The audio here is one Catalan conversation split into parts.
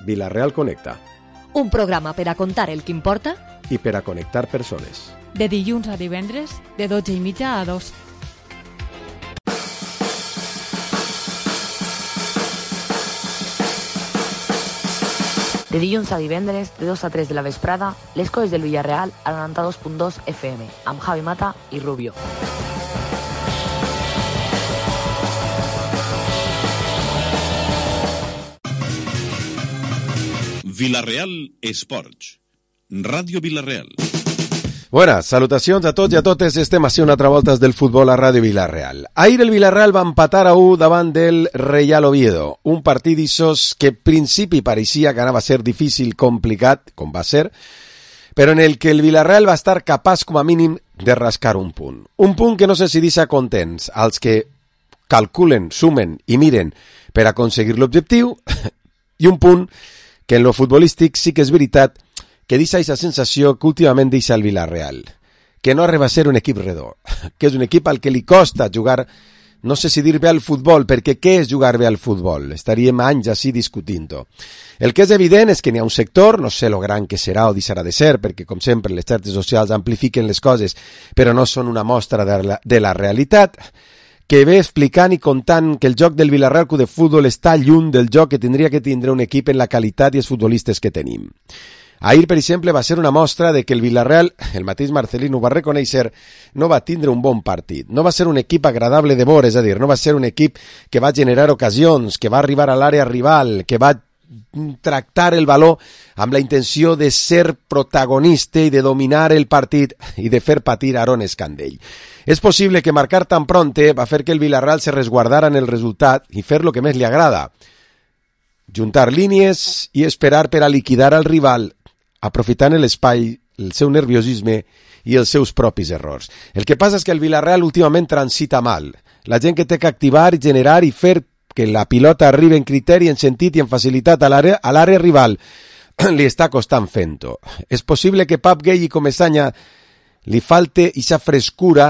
Vila-real Connecta. Un programa per a contar el que importa i per a connectar persones. De dilluns a divendres, de 12:30 a 2. De dilluns a divendres, de 2 a 3 de la vesprada, les coses del Villarreal a 92.2 FM, amb Javi Mata i Rubio. Vila-real Esports. Ràdio Vila-real. Buenas, salutacions a tots i a totes. Estem així una altra volta del futbol a Ràdio Vila-real. Ahir el Villarreal va empatar a 1 davant del Real Oviedo. Un partit d'issos que en principi pareixia que anava a ser difícil, complicat, com va ser, però en el que el Villarreal va estar capaç com a mínim de rascar un punt. Un punt que no sé si deixa contents als que calculen, sumen i miren per aconseguir l'objectiu, i un punt que en lo futbolístic sí que és veritat que deixa aquesta sensació que últimament deixa el Villarreal, que no arriba a ser un equip redó, que és un equip al que li costa jugar, no sé si dir bé al futbol, perquè què és jugar bé al futbol? Estaríem anys així discutint-ho. El que és evident és que n'hi ha un sector, no sé lo gran que serà o deixarà de ser, perquè com sempre les xarxes socials amplifiquen les coses, però no són una mostra de la realitat, que ve explicant i contant que el joc del Villarreal Club de Futbol està lluny del joc que tindria que tindre un equip en la qualitat i els futbolistes que tenim. Ahir, per exemple, va ser una mostra de que el Villarreal, el mateix Marcelino ho va reconèixer, no va tindre un bon partit. No va ser un equip agradable de veure, és a dir, no va ser un equip que va generar ocasions, que va arribar a l'àrea rival, que va tractar el valor amb la intenció de ser protagonista i de dominar el partit i de fer patir a Aaron Escandell. És possible que marcar tan pronte va fer que el Villarreal se resguardara en el resultat i fer lo que més li agrada, juntar línies i esperar per a liquidar al rival, aprofitant l'espai, el seu nerviosisme i els seus propis errors. El que passa és que el Villarreal últimament transita mal. La gent que té que activar, generar i fer que la pilota arribi en criteri, en sentit i en facilitat a l'àrea rival li està costant fent-ho. És possible que Pep Gueye i Comesaña li falte aquesta frescura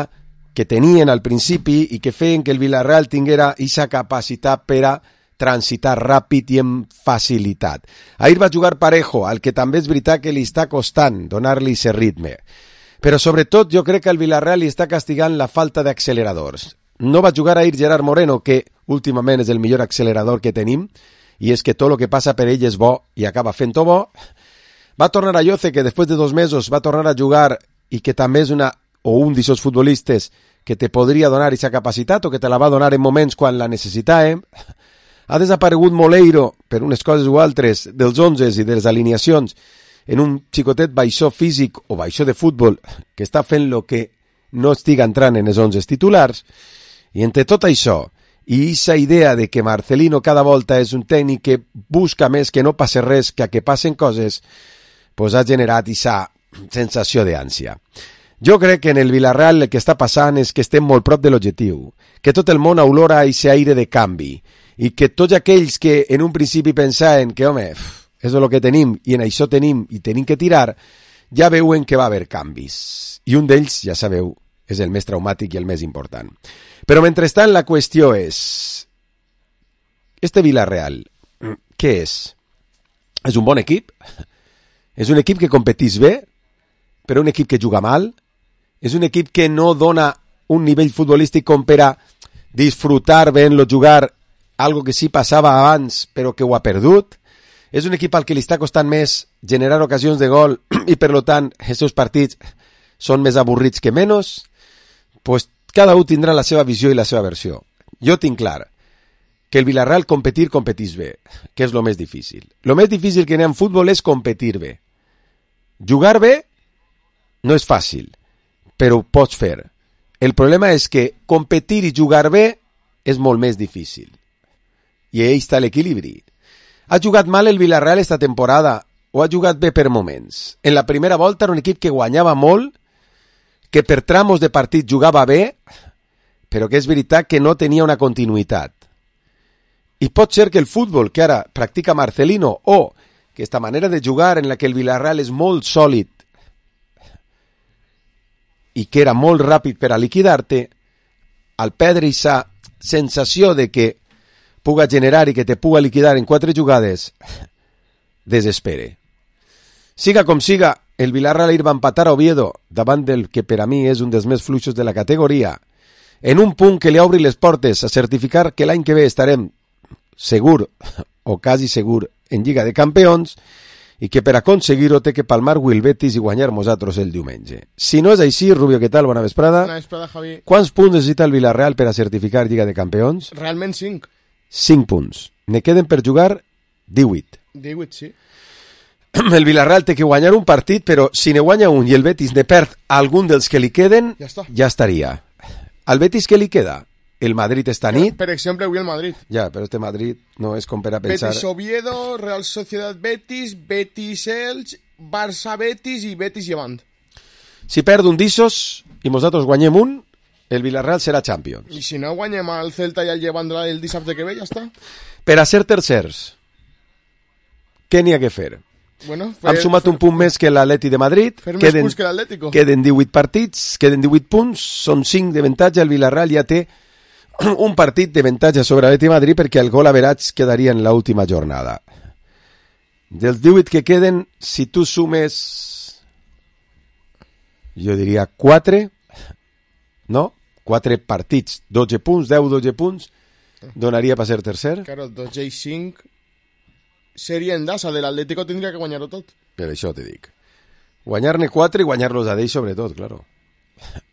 que tenien al principi i que feien que el Villarreal tinguera aquesta capacitat per a transitar ràpid i amb facilitat. Ahir va jugar Parejo, al que també és veritat que li està costant donar-li aquest ritme. Però sobretot jo crec que el Villarreal li està castigant la falta d'acceleradors. No va jugar ahir Gerard Moreno, que últimament és el millor accelerador que tenim, i és que tot el que passa per ell és bo i acaba fent-ho bo. Va tornar a Lloce, que després de 2 mesos va tornar a jugar i que també és un d'aquests futbolistes que te podria donar aquesta capacitat o que te la va donar en moments quan la necessitàvem. Ha desaparegut Moleiro, per unes coses o altres, dels 11 i de les alineacions, en un xicotet baixó físic o baixó de futbol que està fent lo que no estiga entrant en els 11 titulars. I entre tot això, i aquesta idea de que Marcelino cada volta és un tècnic que busca més que no passe res que a que passen coses, pues ha generat aquesta sensació d'ànsia. Jo crec que en el Villarreal el que està passant és que estem molt prop de l'objectiu, que tot el món olora aquest aire de canvi, i que tots aquells que en un principi pensaven que, home, és el que tenim, i en això tenim, i tenim que tirar, ja veuen que va haver canvis. I un d'ells, ja sabeu, és el més traumàtic i el més important. Però mentrestant la qüestió és, este Villarreal, què és? És un bon equip? És un equip que competís bé, però un equip que juga mal? És un equip que no dona un nivell futbolístic com per a disfrutar veient-lo jugar, algo que sí passava abans però que ho ha perdut? És un equip al que li està costant més generar ocasions de gol i per tant els seus partits són més avorrits que menys? Pues cada un tindrà la seva visió i la seva versió. Jo tinc clar que el Villarreal competís bé, que és el més difícil. El més difícil que n'hi ha en futbol és competir bé. Jugar bé no és fàcil, però ho pots fer. El problema és que competir i jugar bé és molt més difícil. I ahí està l'equilibri. Ha jugat mal el Villarreal esta temporada o ha jugat bé per moments? En la primera volta era un equip que guanyava molt, que per tramos de partit jugava bé, però que és veritat que no tenia una continuïtat. I pot ser que el futbol que ara practica Marcelino o que esta manera de jugar en la que el Villarreal és molt sòlid i que era molt ràpid per a liquidar-te, al perdre aquesta sensació de que puga generar i que te puga liquidar en 4 jugades, desespere. Siga com siga, el Villarreal ahir va empatar a Oviedo davant del que per a mi és un dels més fluixos de la categoria, en un punt que li obri les portes a certificar que l'any que ve estarem segur, o quasi segur, en Lliga de Campions, i que per aconseguir-ho té que palmar el Betis i guanyar nosaltres el diumenge. Si no és així, Rubio, què tal? Bona vesprada. Bona vesprada, Javi. Quants punts necessita el Villarreal per a certificar Lliga de Campions? Realment 5. 5 punts. Ne queden per jugar 18. 18, sí. El Villarreal té que guanyar un partit, però si ne guanya un i el Betis ne perd algun dels que li queden, ja estaria. Al Betis què li queda? El Madrid esta nit. Per exemple, avui el Madrid. Ja, però este Madrid no és com per a pensar... Betis Oviedo, Real Sociedad Betis, Betis Elche, Barça Betis i Betis Llevant. Si perd un d'issos i nosaltres guanyem un, el Villarreal serà Champions. I si no guanyem el Celta i el Llevant el dissabte que ve, ja està. Per a ser tercers, què n'hi ha que fer? Bueno, hem sumat un punt més que l'Atleti de Madrid. Fer més punts que l'Atlético. Queden 18 partits, queden 18 punts, són 5 d'avantatge. El Villarreal ja té un partit d'avantatge sobre l'Atleti de Madrid perquè el gol average quedaria en l'última jornada. Dels 18 que queden, si tu sumes, jo diria 4, no? 4 partits, 12 punts, 10-12 punts, donaria per ser tercer? Claro, 12 i 5... seria en dasa, de l'Atlético tindria que guanyar-ho tot. Per això te dic. Guanyar-ne 4 i guanyar-los a d'ells sobretot, claro.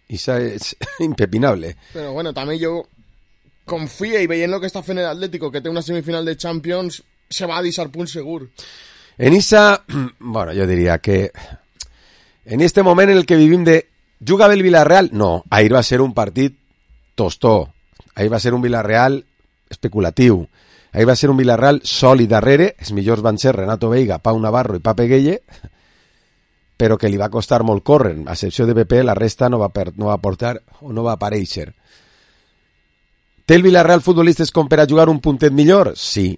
Això és impepinable. Però bueno, també jo confia i veient el que està fent l'Atlético, que té una semifinal de Champions, se va a deixar punts segur. En esa, bueno, jo diria que en este moment en el que vivim de jugava el Villarreal, no, ahir va ser un partit tostó, ahir va ser un Villarreal especulatiu. Ahí va ser un Villarreal sòlid darrere, els millors van ser Renato Veiga, Pau Navarro i Pape Gueye, però que li va costar molt córrer, a excepció de PP, la resta no va portar o no va aparèixer. Té el Villarreal futbolistes com per a jugar un puntet millor? Sí.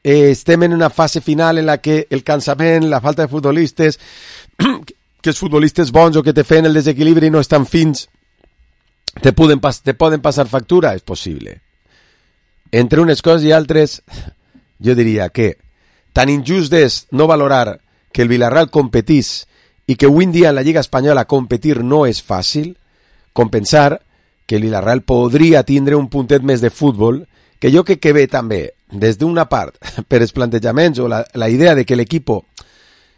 Estem en una fase final en la que el cansament, la falta de futbolistes, que els futbolistes bons o que te feien el desequilibri no estan fins, te poden passar factura? És possible. Entre unes coses i altres, jo diria que tan injust és no valorar que el Villarreal competís i que avui en dia en la Lliga Espanyola competir no és fàcil, com pensar que el Villarreal podria tindre un puntet més de futbol, que jo que ve també, des d'una part, per els plantejaments o la idea de que l'equip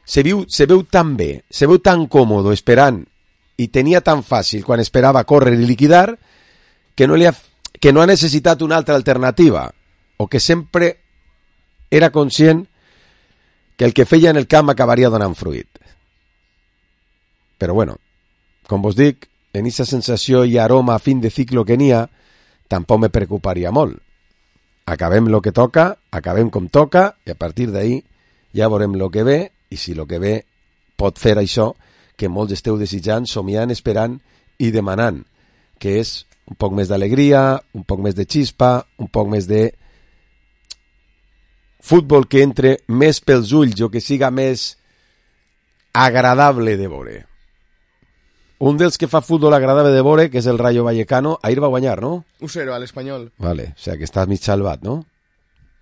se veu tan bé, se veu tan còmode esperant i tenia tan fàcil quan esperava córrer i liquidar, que no ha necessitat una altra alternativa, o que sempre era conscient que el que feia en el camp acabaria donant fruit. Però bueno, com vos dic, en aquesta sensació i aroma a fin de ciclo que n'hi ha, tampoc me preocuparia molt. Acabem lo que toca, acabem com toca, i a partir d'ahí ja veurem lo que ve, i si lo que ve pot fer això que molts esteu desitjant, somiant, esperant i demanant, que és un poc més d'alegria, un poc més de xispa, un poc més de futbol que entre més pels ulls o que siga més agradable de veure. Un dels que fa futbol agradable de veure, que és el Rayo Vallecano, ahir va guanyar, no? 1-0 a l'Espanyol. Vale, o sea que estàs mig salvat, no?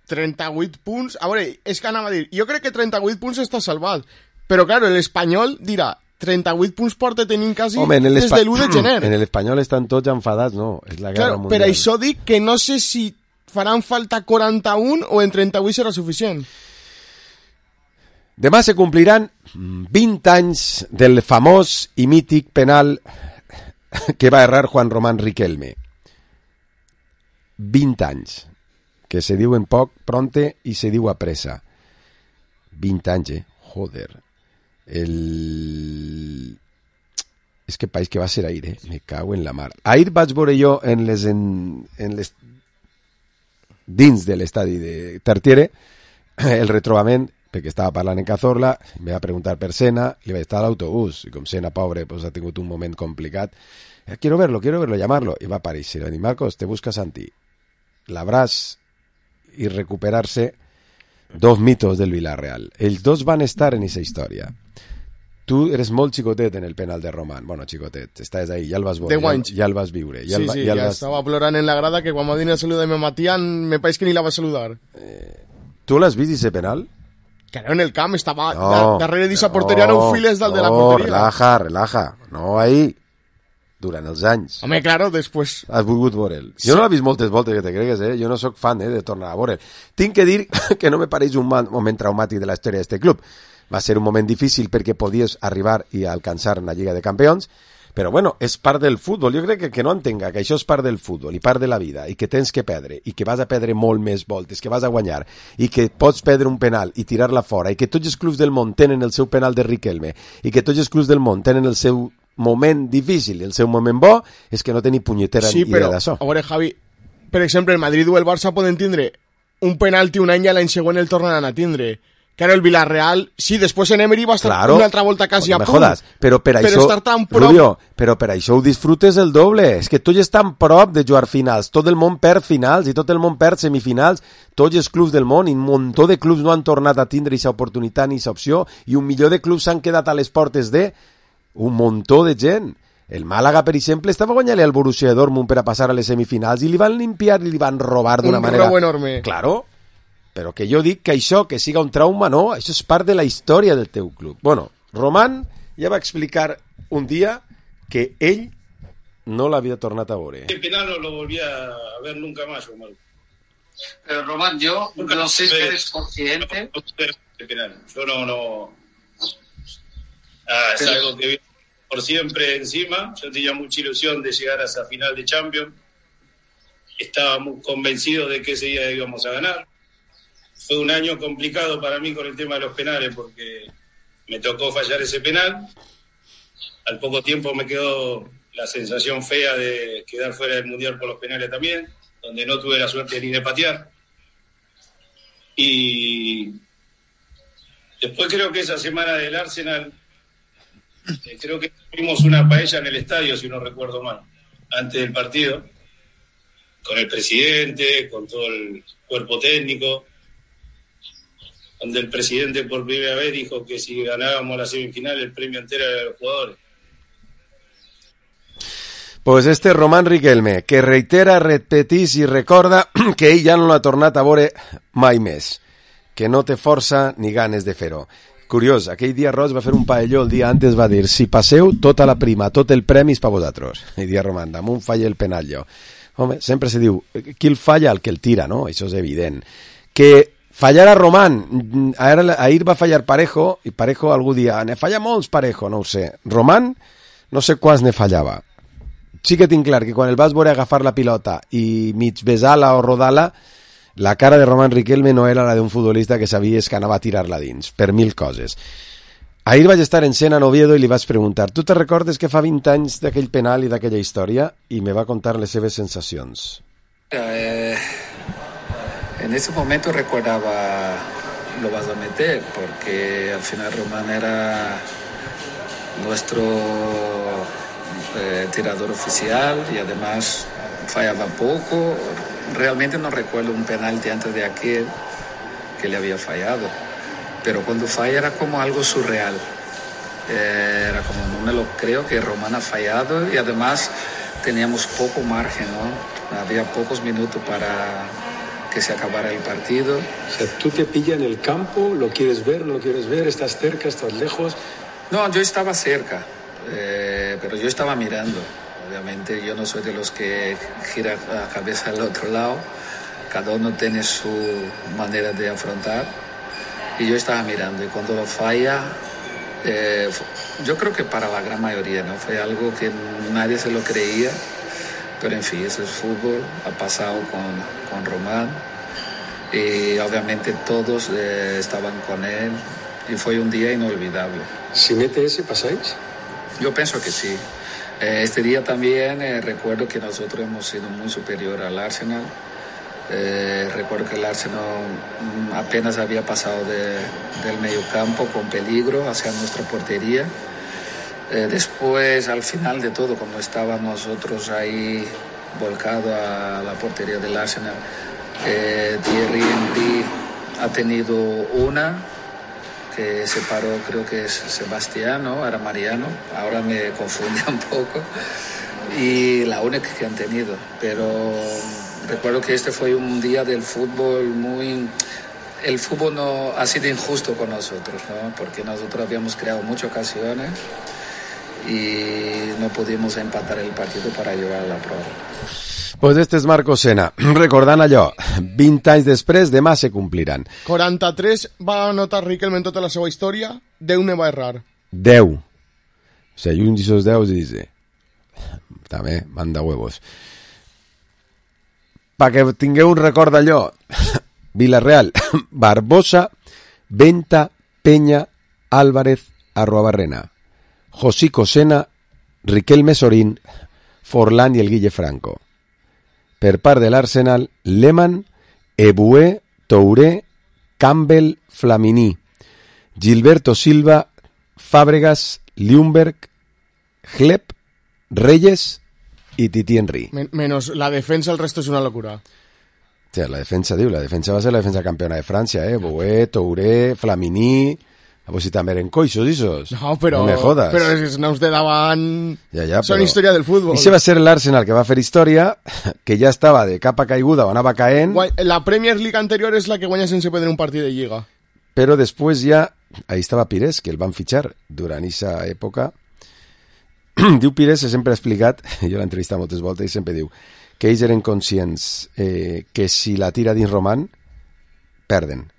38 punts. A veure, és que anava a dir, jo crec que 38 punts està salvat, però claro, l'Espanyol dirà 38 punts porta tenint quasi des de l'1 de gener. En l'Espanyol estan tots enfadats, no? És la guerra mundial. Per això dic que no sé si faran falta 41 o en 38 serà suficient. Demà se compliran 20 anys del famós i mític penal que va errar Juan Román Riquelme. 20 anys. Que se diu en poc, pronte, i se diu a pressa. 20 anys, joder. És que país que va ser ahir, me cago en la mar. Ahir vaig veure jo en les dins de l'estadi de Tartiere el retrobament, perquè estava parlant en Cazorla, me va preguntar per Sena, li vaig estar a l'autobús, i com Sena, pobre, pues, ha tingut un moment complicat. Quiero verlo, llamarlo. I va aparèixer, va dir, Marcos, te busca Santi. L'abràs i recuperar-se dos mitos del Villarreal. Els dos van estar en aquesta història. Tu eres molt xicotet en el penal de Román. Bueno, xicotet, estàs ahí, ja el vas veure, ja el vas viure. Ja estava plorant en la grada que quan m'ha dit el saludo de Matián me pareix que ni la va saludar. Tu l'has vist, ese penal? Claro, en el camp estava darrere d'esa porteria, no files del de la porteria. Relaja, no ahí, durant els anys. Home, claro, després... Has volgut veure'l. Sí. Jo no l'he vist moltes voltes, que te cregues, jo no sóc fan de tornar a veure'l. Tinc que dir que no me pareix un moment traumàtic de la història d'este club. Va ser un moment difícil perquè podies arribar i alcançar una Lliga de Campions, però bueno, és part del futbol. Jo crec que no entenga que això és part del futbol i part de la vida, i que tens que perdre, i que vas a perdre molt més voltes, que vas a guanyar, i que pots perdre un penal i tirar-la fora, i que tots els clubs del món tenen el seu penal de Riquelme, i que tots els clubs del món tenen el seu moment difícil i el seu moment bo, és que no teni punyetera idea d'això. A veure, Javi, per exemple, el Madrid o el Barça poden tindre un penalti un any i l'any següent el tornaran a tindre. Claro, el Villarreal, sí, després en Emery va estar una altra volta quasi a punt. Jodas, però per això, estar tan prop... Rubio, però per això ho disfrutes el doble. És que tu ja estàs prop de jugar finals. Tot el món perd finals i tot el món perd semifinals. Tots els clubs del món, i un muntó de clubs no han tornat a tindre aquesta oportunitat ni aquesta opció, i un milió de clubs s'han quedat a les portes de un muntó de gent. El Màlaga, per exemple, estava guanyant al Borussia Dortmund per a passar a les semifinals i li van limpiar i li van robar d'una manera... Un robo enorme. Claro. Però que jo dic que això, que siga un trauma, no, això és part de la història del teu club. Bueno, Román ja va explicar un dia que ell no l'havia tornat a veure. El penal no lo volví a ver nunca más, Román. Pero Román, yo no sé si eres consciente. Yo no. Es algo que viene por siempre encima. Yo tenía mucha ilusión de llegar a esa final de Champions. Estaba muy convencido de que ese día íbamos a ganar. Fue un año complicado para mí con el tema de los penales porque me tocó fallar ese penal. Al poco tiempo me quedó la sensación fea de quedar fuera del Mundial por los penales también, donde no tuve la suerte ni de patear. Y después creo que esa semana del Arsenal, creo que tuvimos una paella en el estadio, si no recuerdo mal, antes del partido, con el presidente, con todo el cuerpo técnico, donde el presidente por primera vez dijo que si ganábamos la semifinal el premio entero era de los jugadores. Pues este Román Riquelme, que reitera, repetís i recorda que ell ja no l'ha tornat a veure mai més, que no té força ni ganes de fer-ho. Curiós, aquell dia Roig va fer un paelló, el dia antes va dir, si passeu, tota la prima, tot el premi és per vosaltres. I dia Román, damunt falla el penal jo. Home, sempre se diu, qui el falla? El que el tira, no? Això és evident. Que fallar a Román, ahir va fallar Parejo, i Parejo algú dia, ne falla molts Parejo, no ho sé. Román, no sé quants ne fallava. Sí que tinc clar que quan el vas veure agafar la pilota i mig besar-la o rodar-la, la cara de Román Riquelme no era la d'un futbolista que sabies que anava a tirar-la dins, per mil coses. Ahir vaig estar en Sena, en Oviedo, i li vaig preguntar, tu te recordes que fa 20 anys d'aquell penal i d'aquella història? I me va contar les seves sensacions. En ese momento recordaba lo vas a meter porque al final Román era nuestro tirador oficial y además fallaba poco. Realmente no recuerdo un penalti antes de aquel que le había fallado, pero cuando falla era como algo surreal. Era como no me lo creo que Román ha fallado y además teníamos poco margen, ¿no? Había pocos minutos para que se acabara el partido. O sea, tú te pillas en el campo, lo quieres ver, no lo quieres ver, estás cerca, estás lejos. No, yo estaba cerca, pero yo estaba mirando. Obviamente yo no soy de los que gira la cabeza al otro lado. Cada uno tiene su manera de afrontar. Y yo estaba mirando y cuando lo falla, yo creo que para la gran mayoría, ¿no? Fue algo que nadie se lo creía. Pero en fin, eso es fútbol, ha pasado con Román y obviamente todos estaban con él y fue un día inolvidable. ¿Si mete ese, pasáis? Yo pienso que sí. Este día también recuerdo que nosotros hemos sido muy superior al Arsenal. Recuerdo que el Arsenal apenas había pasado del mediocampo con peligro hacia nuestra portería. Después, al final de todo, cuando estábamos nosotros ahí volcados a la portería del Arsenal, Thierry Henry ha tenido una que se paró, creo que es Sebastián, ¿no? Era Mariano, ahora me confunde un poco, y la única que han tenido. Pero recuerdo que este fue un día del fútbol muy el fútbol no ha sido injusto con nosotros, ¿no? Porque nosotros habíamos creado muchas ocasiones y no pudimos empatar el partido para llevar a la pròrroga. Pues este és Marco Sena. Recordant allò, 20 anys després, demà se compliran. 43 va anotar Riquelme en tota la seva història, 10 ne va errar. 10. O sigui, un d'aquests 10 dice, també, manda huevos. Perquè tingueu un record d'allò, Villarreal, Barbosa, Venta, Peña, Álvarez, Arruabarrena, Josico Sena, Riquelme Sorín, Forlán i el Guille Franco. Per part de l'Arsenal, Lehmann, Eboué, Touré, Campbell, Flamini, Gilberto Silva, Fàbregas, Ljungberg, Hleb, Reyes i Titi Henry. Menos la defensa, el resto és una locura. O sea, la defensa va ser la defensa campeona de Francia, Eboué, Touré, Flamini... Pues si també eren coixos, isos. No, però... No me jodas. Però els noms de davant... Ja, són història del futbol. I se va ser l'Arsenal que va fer història, que ja estava de capa caiguda o anava caent... La Premier League anterior és la que guanya sense perdre un partit de Lliga. Però després ja... Ahí estava Pires, que el van fitxar durant aquesta època. Diu Pires, sempre ha explicat, jo l'he entrevistat moltes voltes i sempre diu, que ells eren conscients que si la tira dins Roman, perden.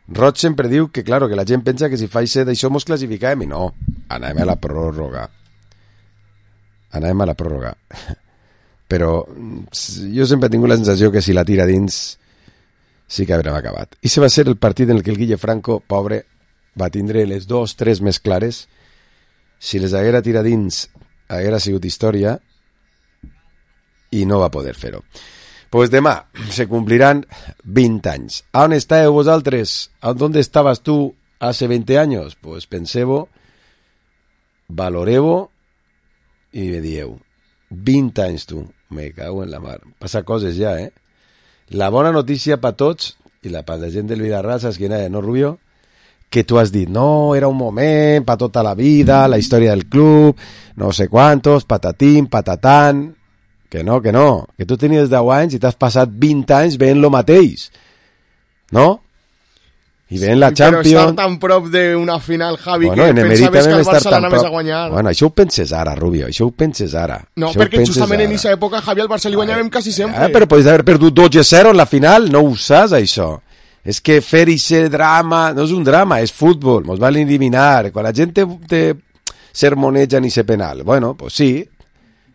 Roig sempre diu que, claro, que la gent pensa que si fa d'això mos classificàvem, i no, anàvem a la pròrroga. Però jo sempre he tingut la sensació que si la tira dins sí que haurem acabat. I se va ser el partit en el que el Guille Franco, pobre, va tindre les 2-3 més clares. Si les haguera tirat dins haguera sigut història i no va poder fer-ho. Pues demà se cumplirán 20 anys. ¿A on estàveu vosaltres? ¿A dónde estabas tú hace 20 años? Pues penseu-ho, valoreu-ho i me dieu. 20 anys, tu. Me cago en la mar. Passa coses ja, eh? La bona notícia per tots, i la per la gent del Villarreal, saps quina és, no, Rubio? Que tu has dit, no, era un moment, per tota la vida, la història del club, no sé quantos, patatín, patatán... Que no, que tu tenies 10 anys i t'has passat 20 anys veient lo mateix, no? I veient la Champions... Però estar tan prop d'una final, Javi, bueno, que pensaves que el Barça l'anaves a guanyar. Bueno, això ho penses ara, Rubio, això ho penses ara. No, perquè justament en aquesta època, Javi, el Barça li guanyàvem quasi sempre. Però podes haver perdut 2-0 en la final, no ho saps, això. És que fer aquest drama, no és un drama, és futbol, mos van eliminar. Quan la gent te sermoneja ni se penal, bueno, pues sí.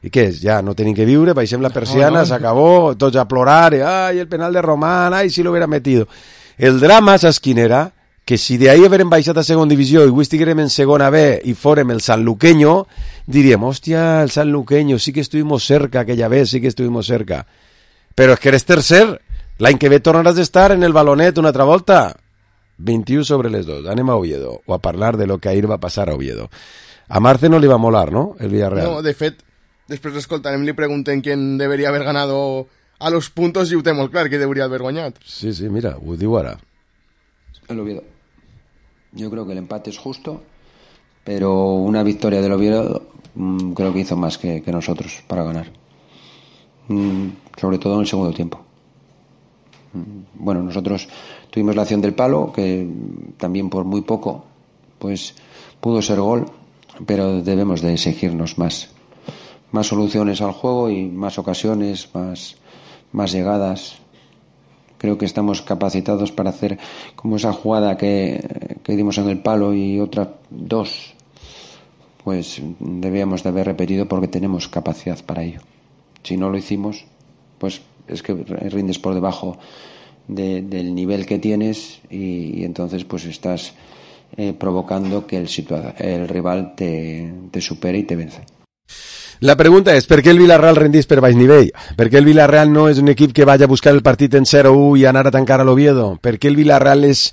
I què és? Ja no tenim que viure, baixem la persiana, s'acabó, tots a plorar, ai, el penal de Román, ai, si lo hubiera metido. El drama, saps quin era? Que si de ahí haguérem baixat a segona divisió i avui estiguérem en segona B i fórem el Sanluqueño, diríem, hòstia, el Sanluqueño, sí que estuvimos cerca aquella vez, sí que estuvimos cerca. Però és que eres tercer, l'any que ve tornaràs d'estar en el balonet una altra volta. 21 sobre les 2, anem a Oviedo, o a parlar de lo que ahir va passar a Oviedo. A Marce no li va molar, ¿no?, el Villarreal. No, de fet, després l'escoltarem, li pregunten quién debería haber ganado a los puntos i ho té molt clar, que debería haber guanyat. Sí, mira, ho diu ara. El Oviedo. Yo creo que el empate es justo, pero una victoria del Oviedo creo que hizo más que nosotros para ganar. Sobre todo en el segundo tiempo. Bueno, nosotros tuvimos la acción del palo, que también por muy poco pues pudo ser gol, pero debemos de exigirnos más soluciones al juego y más ocasiones, más llegadas. Creo que estamos capacitados para hacer como esa jugada que dimos en el palo y otras 2, pues debíamos de haber repetido porque tenemos capacidad para ello. Si no lo hicimos, pues es que rindes por debajo del nivel que tienes y entonces pues estás provocando que el rival te supere y te vence. La pregunta és, per què el Villarreal rendís per baix nivell? Per què el Villarreal no és un equip que vaya a buscar el partit en 0-1 i anar a tancar a l'Oviedo? Per què el Villarreal és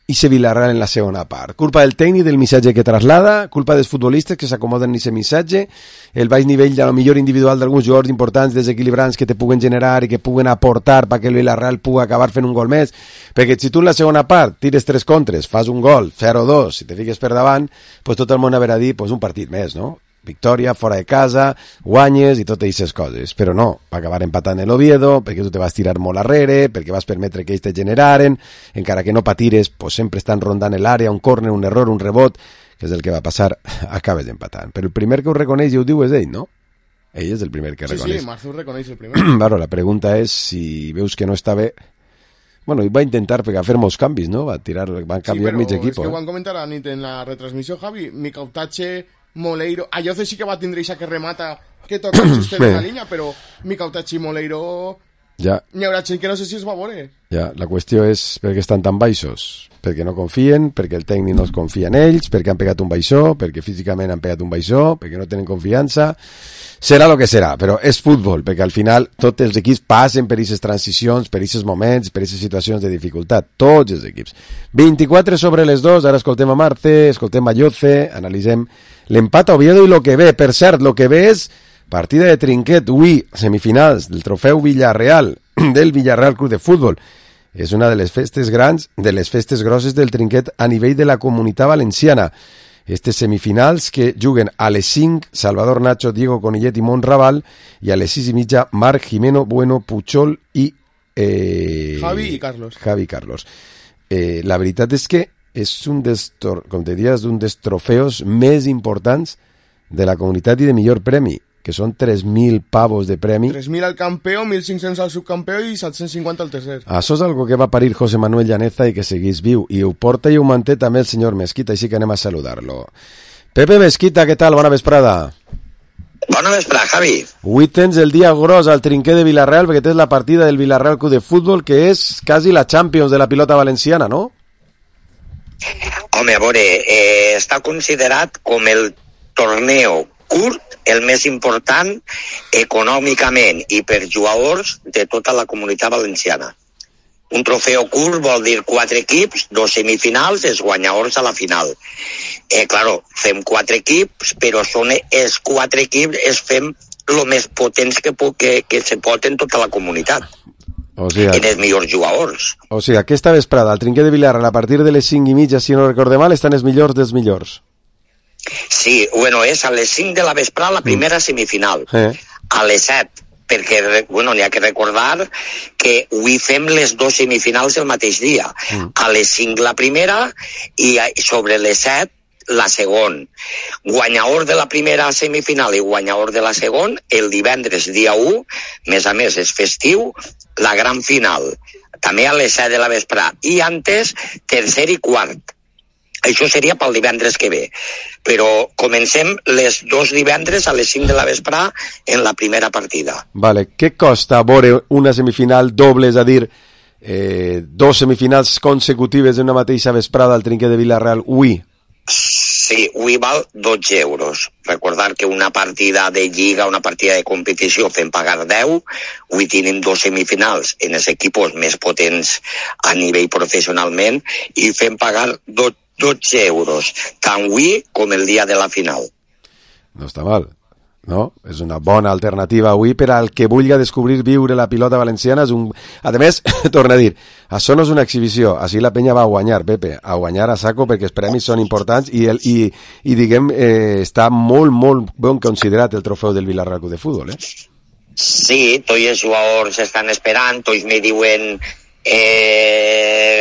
ese Villarreal en la segona part? Culpa del tècnic, del missatge que traslada, culpa dels futbolistes que s'acomoden en aquest missatge, el baix nivell de la millor individual d'alguns jugadors importants, desequilibrants, que te puguen generar i que puguen aportar perquè el Villarreal pugui acabar fent un gol més, perquè si tu en la segona part tires 3 contres, fas un gol, 0-2, si te fiques per davant, pues tot el món haurà dit, pues un partit més, no? victòria, fora de casa, guanyes i totes aquestes coses, però no, va acabar empatant l'Oviedo, perquè tu te vas tirar molt arrere, perquè vas permetre que ells te generaren, encara que no patires, pues sempre estan rondant l'àrea, un córner, un error, un rebot, que és el que va passar, acabes empatant. Però el primer que ho reconeix i ho diu és ell, no? Ell és el primer que reconeix. Sí, Marzo reconeix el primer. Claro, la pregunta és si veus que no està bé. Bueno, i va intentar fer molts canvis, no? Va canviar mig equip. Sí, però és que ho van comentar a nit en la retransmissió, Javi. Micautache, Moleiro... Ayoce sí que va tindre ixa que remata, que toca el sistema en la línia, però Micautache i Moleiro... Ja. N'hi haurà gent que no sé si es va veure. Ja, la qüestió és per què estan tan baixos. Perquè no confien, perquè el tècnic no es confia en ells, perquè han pegat un baixó, perquè físicament han pegat un baixó, perquè no tenen confiança. Serà el que serà, però és futbol, perquè al final tots els equips passen per aquestes transicions, per aquests moments, per aquestes situacions de dificultat. Tots els equips. 24 sobre les 2, ara escoltem a Marte, escoltem a Yoce, analitzem l'empat a Oviedo i el que ve. Per cert, el que ve és partida de trinquet, avui, semifinals del trofeu Villarreal, del Villarreal Club de Futbol. És una de les festes grans, de les festes grosses del trinquet a nivell de la Comunitat Valenciana. Estes semifinals que juguen a les 5 Salvador Nacho, Diego Conillet i Monraval, i a les 6:30 Marc, Jimeno, Bueno, Puchol i... Javi i Carlos. Javi i Carlos. La veritat és que és un dels, com te diries, un dels trofeus més importants de la comunitat i de millor premi, que són 3.000 pavos de premi. 3.000 al campió, 1.500 al subcampió i 750 al tercer. Això és algo que va parir José Manuel Llaneza i que seguís viu, i ho porta i ho manté també el senyor Mesquita, així que anem a saludar-lo. Pepe Mesquita, què tal? Bona vesprada. Bona vesprada, Javi. Avui tens el dia gros al trinquet de Villarreal, perquè tens la partida del Villarreal Club de Futbol, que és quasi la Champions de la pilota valenciana, no? Home, a veure, està considerat com el torneo curt, el més important econòmicament i per jugadors de tota la comunitat valenciana. Un trofeu curt vol dir 4 equips, 2 semifinals, els guanyadors a la final. Claro, fem 4 equips, però són els 4 equips, fem el més potents que se pot en tota la comunitat. O sigui, en els millors jugadors. O sigui, aquesta vesprada, al trinquet de Villarreal, a partir de les 5:30, si no recorde mal, estan els millors dels millors. Sí, bueno, és a les 5 de la vesprada la primera semifinal. A les 7, perquè, bueno, n'hi ha que recordar que avui fem les 2 semifinals el mateix dia. A les 5 la primera i sobre les 7 la segona. Guanyador de la primera semifinal i guanyador de la segona, el divendres dia 1, més a més és festiu, la gran final, també a les 7 de la vesprada. I antes, tercer i quart. Això seria pel divendres que ve. Però comencem les 2 divendres a les 5 de la vesprada en la primera partida. Vale. Què costa veure una semifinal doble, és a dir, 2 semifinals consecutives en una mateixa vesprada al trinquet de Villarreal? Ui. Sí, avui val 12 euros. Recordar que una partida de lliga, una partida de competició fem pagar 10, avui tenim 2 semifinals en els equips més potents a nivell professionalment i fem pagar 12 euros, tant avui com el dia de la final. No està mal, no? És una bona alternativa avui per al que vulgui descobrir viure la pilota valenciana. A més, torna a dir, això no és una exhibició, així la penya va a guanyar, Pepe, a guanyar a saco perquè els premis són importants i diguem, està molt, molt ben considerat el trofeu del Villarreal Club de Futbol, eh? Sí, tots els jugadors estan esperant, tots me diuen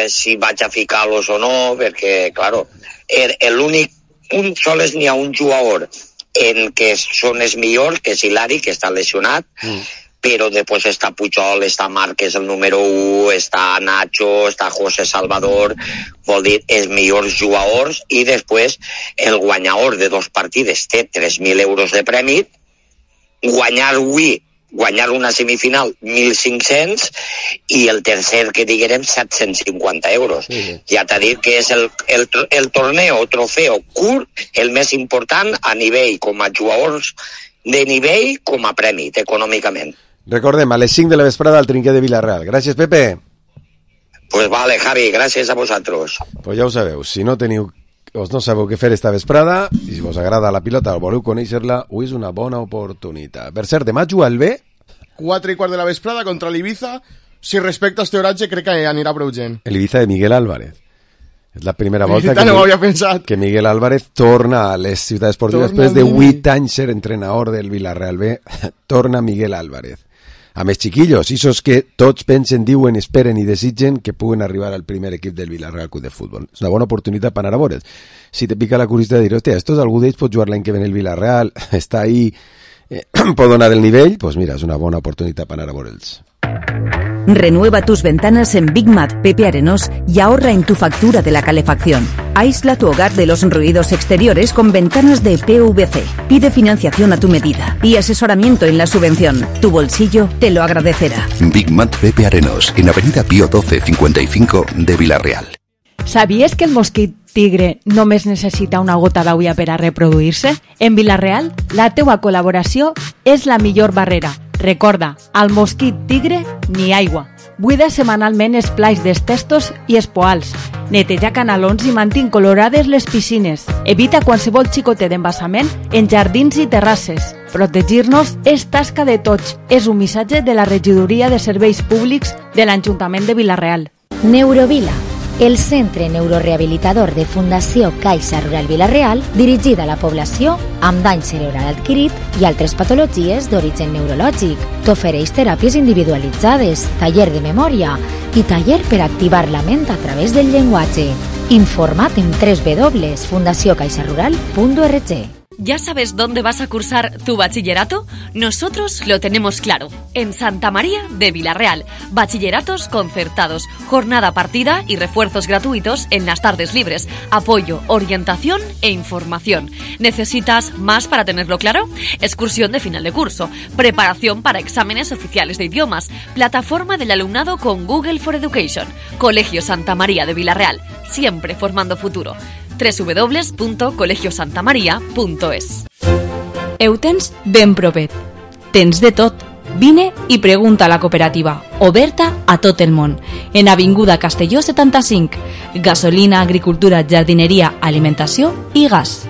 si vaig a ficar-los o no, perquè, claro, l'únic, sols n'hi ha un jugador en què són els millors, que és Hilari, que està lesionat, però després està Pujol, està Marc, que és el número 1, està Nacho, està José Salvador, vol dir, els millors jugadors, i després el guanyador de 2 partides té 3.000 euros de premi, guanyar una semifinal 1.500 i el tercer que diguem 750 euros. Ja t'ha dit que és el torneo, trofeu curt, el més important a nivell com a jugadors de nivell com a premi econòmicament. Recordem, a les 5 de la vesprada al trinquet de Villarreal. Gràcies, Pepe. Pues vale, Javi, gràcies a vosaltres. Pues ja ho sabeu, si no teniu no sabeu què fer esta vesprada i si vos agrada la pilota o voleu conèixer-la, avui és una bona oportunitat. Per cert, demà juga el B 4:15 de la vesprada contra l'Ibiza. Si respecta este horatge crec que anirà prou gent. El Ibiza de Miguel Álvarez. És la primera volta que Miguel Álvarez torna a les ciutats esportives després de 8 anys ser entrenador del Villarreal B. Torna Miguel Álvarez. A més, chiquillos, isos que tots pensen, diuen, esperen i desitgen que puguen arribar al primer equip del Villarreal Club de Fútbol. És una bona oportunitat per anar a veure'ls. Si te pica la curiositat de dir, hòstia, estos algú d'ells pot jugar l'any que ve en el Villarreal, està ahí, pot donar el nivell, pues mira, és una bona oportunitat per anar a veure'ls. Renueva tus ventanas en Big Mat Pepe Arenós y ahorra en tu factura de la calefacción. Aísla tu hogar de los ruidos exteriores con ventanas de PVC. Pide financiación a tu medida y asesoramiento en la subvención. Tu bolsillo te lo agradecerá. Big Mat Pepe Arenós, en Avenida Pío 12 55 de Villarreal. ¿Sabías que el mosquit tigre només necessita una gota d'aigua per a reproduir-se? En Villarreal, la teua col·laboració és la millor barrera. Recorda, al mosquit tigre ni aigua. Buida setmanalment els plais dels testos i els poals. Neteja canalons i mantén colorades les piscines. Evita qualsevol xicotet d'embassament en jardins i terrasses. Protegir-nos és tasca de tots. És un missatge de la Regidoria de Serveis Públics de l'Ajuntament de Villarreal. Neurovila, el centre neurorehabilitador de Fundació Caixa Rural Villarreal, dirigida a la població amb dany cerebral adquirit i altres patologies d'origen neurològic. T'ofereix teràpies individualitzades, taller de memòria i taller per activar la ment a través del llenguatge. Informa't en www.fundaciocaixarural.org. ¿Ya sabes dónde vas a cursar tu bachillerato? Nosotros lo tenemos claro. En Santa María de Villarreal. Bachilleratos concertados, jornada partida y refuerzos gratuitos en las tardes libres. Apoyo, orientación e información. ¿Necesitas más para tenerlo claro? Excursión de final de curso. Preparación para exámenes oficiales de idiomas. Plataforma del alumnado con Google for Education. Colegio Santa María de Villarreal. Siempre formando futuro. www.colegiosantamaria.es. Eutens ben propet. Tens de tot. Vine i pregunta a la cooperativa, oberta a tot el món. En Avinguda Castelló 75. Gasolina, agricultura, jardinería, alimentació i gas.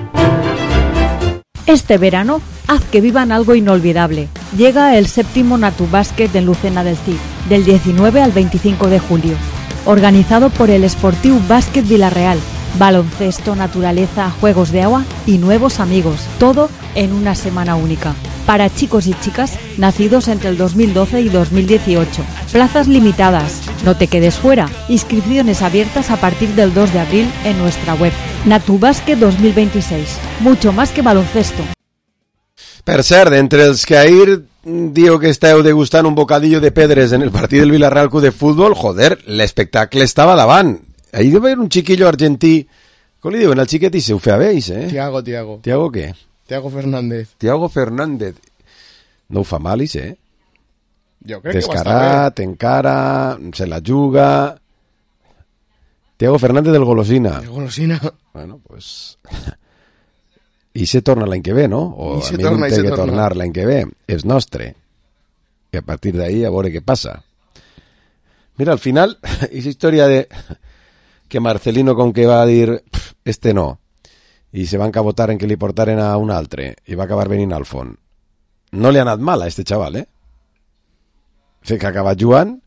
Este verano, haz que vivan algo inolvidable. Llega el 7º Natubàsquet en Lucena del Cid, del 19 al 25 de julio. Organizado por el Esportiu Básquet Villarreal. Baloncesto, naturaleza, juegos de agua y nuevos amigos. Todo en una semana única. Para chicos y chicas nacidos entre el 2012 y 2018. Plazas limitadas. No te quedes fuera. Inscripciones abiertas a partir del 2 de abril en nuestra web. Natubàsquet 2026. Mucho más que baloncesto. Per cert, entre els que ahir diu que esteu degustant un bocadillo de pedres en el partit del Villarreal Club de Futbol, joder, l'espectacle estava davant. Ahí debe haber un chiquillo argentí. ¿Cómo le digo? En el chiquete y se ufeabéis, ¿eh? Tiago. ¿Tiago qué? Tiago Fernández. Tiago Fernández. No ho fa malis, ¿eh? Jo crec Descarat, encara, se la juga. Tiago Fernández del Golosina. El Golosina. Bueno, pues... I se torna l'any que ve, no? O a mi no té que tornar l'any que ve. És nostre. I a partir d'ahí a veure què passa. Mira, al final, esa historia de que Marcelino con que va a dir este no, i se va encabotar en que li portaren a un altre, i va acabar venint al fons. No li ha anat mal a este xaval, eh? Sé que ha acabat jugant,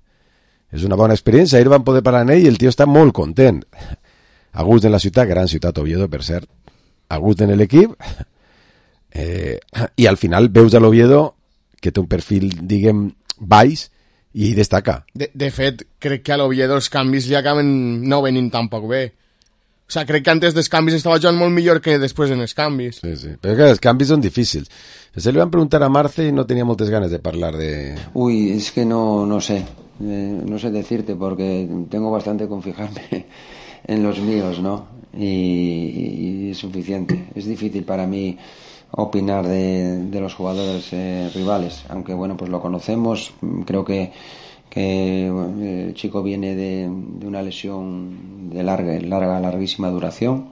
és una bona experiència, ahir van poder parlar en ell i el tio està molt content. A gust en la ciutat, gran ciutat Oviedo, per cert, a gust en l'equip, i al final veus a l'Oviedo que té un perfil, diguem, baix, i destaca. De fet, crec que a l'Oviedo els canvis li acaben no venint tampoc bé. O sea, crec que antes dels canvis estava jugant molt millor que després en els canvis. Sí, sí. Però que els canvis són difícils. Se li van preguntar a Marce y no tenía muchas ganas de hablar de... Uy, es que no sé. No sé decirte porque tengo bastante con fijarme en los míos, ¿no? Y es suficiente. Es difícil para mí opinar de los jugadores rivales, aunque bueno, pues lo conocemos. Creo que el chico viene de una lesión de larguísima duración.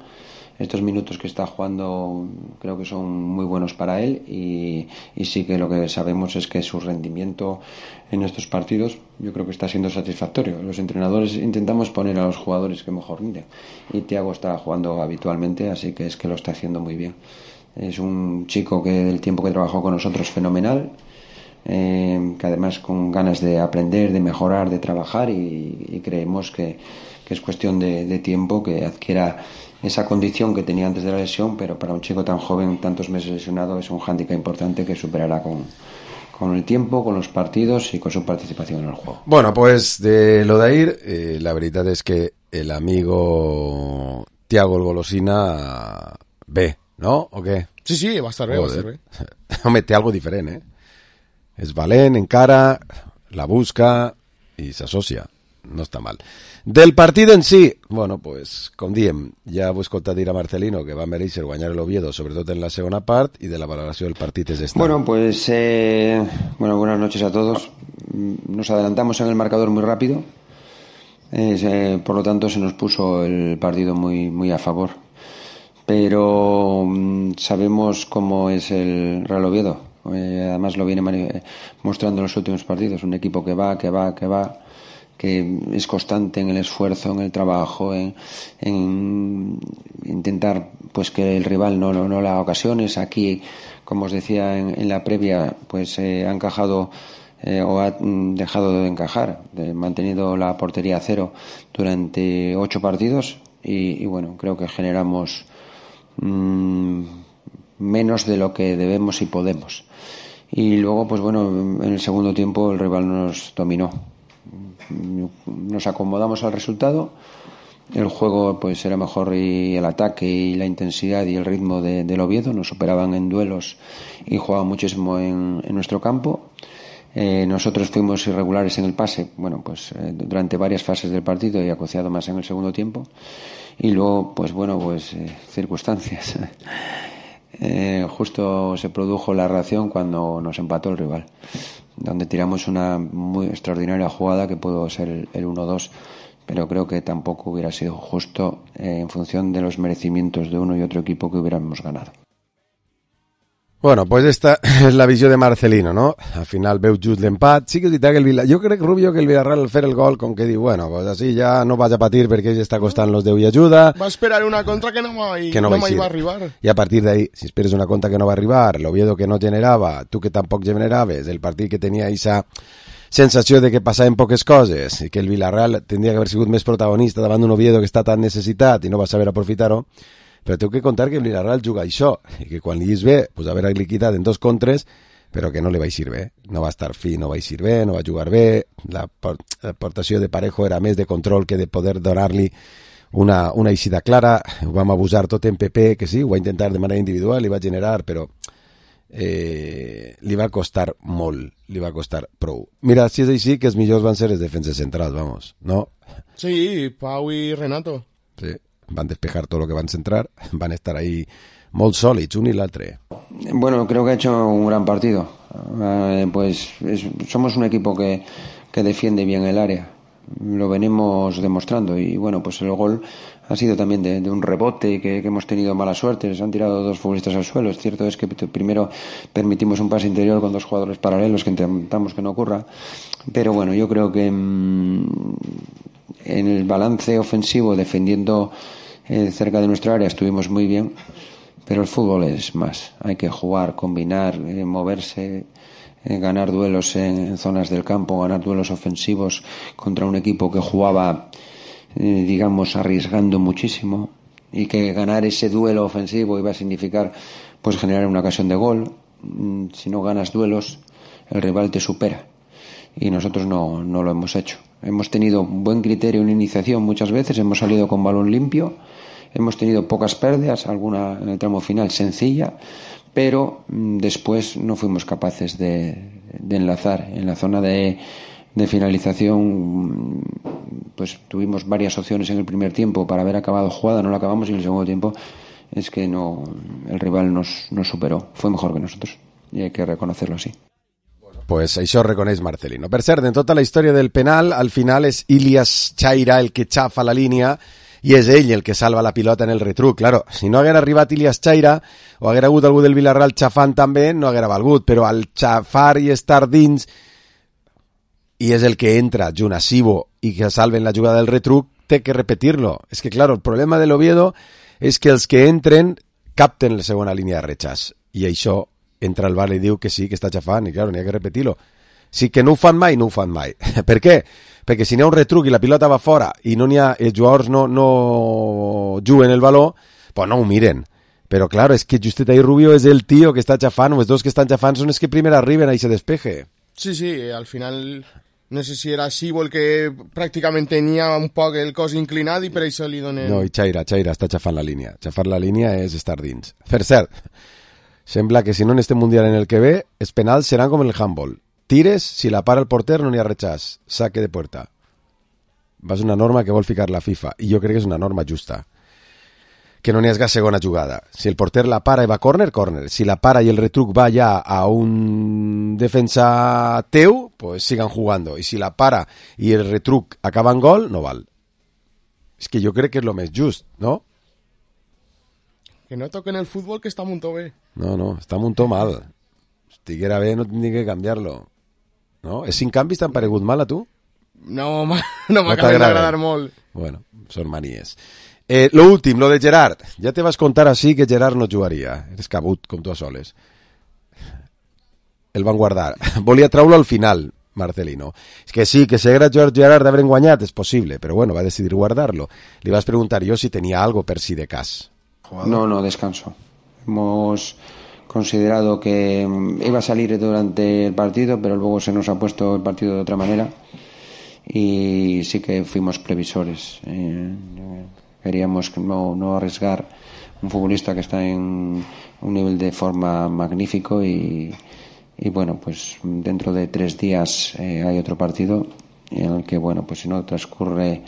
Estos minutos que está jugando creo que son muy buenos para él y sí que lo que sabemos es que su rendimiento en estos partidos yo creo que está siendo satisfactorio. Los entrenadores intentamos poner a los jugadores que mejor rinden y Thiago está jugando habitualmente, así que es que lo está haciendo muy bien. Es un chico que del tiempo que trabajó con nosotros fenomenal, que además con ganas de aprender, de mejorar, de trabajar y creemos que es cuestión de tiempo que adquiera esa condición que tenía antes de la lesión, pero para un chico tan joven, tantos meses lesionado, es un hándicap importante que superará con el tiempo, con los partidos y con su participación en el juego. Bueno, pues de Lodair, la verdad es que el amigo Thiago el Golosina ve, ¿no? ¿O qué? Sí, va a estar bé, va a estar bé. Home, té algo diferent, És valent, encara, la busca i s'associa. No està mal. Del partit en si, bueno, pues, com diem, ja ho he escoltat dir a Marcelino que va mereixer guanyar l'Oviedo, sobretot en la segona part, i de la valoració del partit és esta. Bueno, pues, buenas noches a todos. Nos adelantamos en el marcador muy rápido, por lo tanto se nos puso el partido muy a favor. Pero sabemos cómo es el Real Oviedo. Además lo viene mostrando en los últimos partidos. Un equipo que va, que es constante en el esfuerzo, en el trabajo, en intentar pues que el rival no le haga ocasiones. Aquí, como os decía en la previa, pues ha encajado o ha dejado de encajar, mantenido la portería a cero durante 8 partidos y bueno, creo que generamos menos de lo que debemos y podemos. Y luego, pues bueno, en el segundo tiempo el rival nos dominó. Nos acomodamos al resultado. El juego pues era mejor y el ataque y la intensidad y el ritmo del Oviedo nos superaban en duelos y jugaban muchísimo en nuestro campo. Nosotros fuimos irregulares en el pase, bueno, pues durante varias fases del partido y acuciado más en el segundo tiempo. Y luego, pues bueno, pues circunstancias. Justo se produjo la reacción cuando nos empató el rival, donde tiramos una muy extraordinaria jugada que pudo ser el 1-2, pero creo que tampoco hubiera sido justo en función de los merecimientos de uno y otro equipo que hubiéramos ganado. Bueno, pues esta és la visió de Marcelino, no? Al final veu just l'empat. Sí que és veritat que jo crec, Rubio, que el Villarreal al fer el gol, com que diu, bueno, pues así ja no vaig a patir perquè ell està costant los Déu i ajuda. Va esperar una contra que no mai va arribar. I a partir d'ahí, si esperes una contra que no va arribar, l'Oviedo que no generava, tu que tampoc generaves, el partit que tenia aquesta sensació de que passaven poques coses i que el Villarreal tindria que haver sigut més protagonista davant d'un Oviedo que està tan necessitat i no va saber aprofitar-ho. Però tengo que contar que el Villarreal juga això i que quan li és bé, pues haver liquidat en 2 contres, però que no li va eixir bé. No va estar fi, no va eixir bé, no va jugar bé. L'aportació de Parejo era més de control que de poder donar-li una eixida clara. Ho vam abusar tot en PP, que sí, ho va intentar de manera individual, li va generar, però li va costar molt, li va costar prou. Mira, si és així, que els millors van ser els defenses centrals, vamos, ¿no? Sí, Pau y Renato. Sí. Van despejar todo lo que van centrar, van a estar ahí molt sòlids, un y l'altre. Bueno, creo que ha hecho un gran partido. Somos un equipo que defiende bien el área. Lo venimos demostrando y bueno, pues el gol ha sido también de un rebote que hemos tenido mala suerte. Les han tirado 2 futbolistas al suelo. Es cierto es que primero permitimos un pase interior con 2 jugadores paralelos que intentamos que no ocurra. Pero bueno, yo creo que en el balance ofensivo, defendiendo cerca de nuestra área, estuvimos muy bien, pero el fútbol es más. Hay que jugar, combinar, moverse, ganar duelos en zonas del campo, ganar duelos ofensivos contra un equipo que jugaba, digamos, arriesgando muchísimo, y que ganar ese duelo ofensivo iba a significar pues generar una ocasión de gol. Si no ganas duelos, el rival te supera. Y nosotros no lo hemos hecho. Hemos tenido buen criterio en iniciación muchas veces, hemos salido con balón limpio, hemos tenido pocas pérdidas, alguna en el tramo final sencilla, pero después no fuimos capaces de enlazar. En la zona de finalización pues tuvimos varias opciones en el primer tiempo para haber acabado jugada, no la acabamos, y en el segundo tiempo es que el rival nos superó, fue mejor que nosotros y hay que reconocerlo así. Pues això reconeix Marcelino. Per cert, en tota la història del penal, al final és Ilias Chaira el que xafa la línia i és ell el que salva la pilota en el retruc. Claro, si no haguera arribat Ilias Chaira o haguera hagut algú del Villarreal xafant també, no haguera valgut, però al xafar i estar dins i és el que entra junt a Sibo i que salven la jugada del retruc, té que repetir-lo. És que, claro, el problema de l'Oviedo és que els que entren capten la segona línia de rechaç i això entra el VAR i diu que sí, que està xafant, i claro, n'hi ha que repetir-lo. Sí que no ho fan mai, no ho fan mai. Per què? perquè si n'hi ha un retruc i la pilota va fora i no n'hi ha, els jugadors no juguen el valor, pues no ho miren. Però clar, és que justet ahí Rubio és el tio que està xafant, o els dos que estan xafant són els que primer arriben a ese despeje. Sí, al final no sé si era Sibo el que pràcticament tenia un poc el cos inclinat i per això li donen... No, i Chaira està xafant la línia. Xafar la línia és estar dins. Per cert, sembla que si no en este Mundial en el que ve, els penals seran com en el handball. Tires, si la para el porter no n'hi ha rechàs. Saque de puerta. Va ser una norma que vol ficar la FIFA, i jo crec que és una norma justa. Que no n'hi hagi segona jugada. Si el porter la para i va córner, córner. Si la para i el retruc va ja a un defensa teu, pues sigan jugando. I si la para i el retruc acaba en gol, no val. És que jo crec que és lo més just, no? Que no toquen el futbol, que està molt bé. No, està molt mal. Estiguera bé, no tindria que canviar-lo. No? Els 5 canvis t'han paregut mal a tu? No m'acaben d'agradar molt. Bueno, són manies. Lo últim, lo de Gerard. Ja te vas contar així que Gerard no jugaria. Eres cabut, com tu a soles. El van guardar. Volia treure al final, Marcelino. És que sí, que si haguera Gerard d'haver guanyat, és possible, però bueno, va decidir guardarlo. Li vas preguntar jo si tenia algo per si de cas. No, descanso. Hemos considerado que iba a salir durante el partido, pero luego se nos ha puesto el partido de otra manera y sí que fuimos previsores. Queríamos no arriesgar un futbolista que está en un nivel de forma magnífico y bueno, pues dentro de 3 días hay otro partido en el que, bueno, pues si no transcurre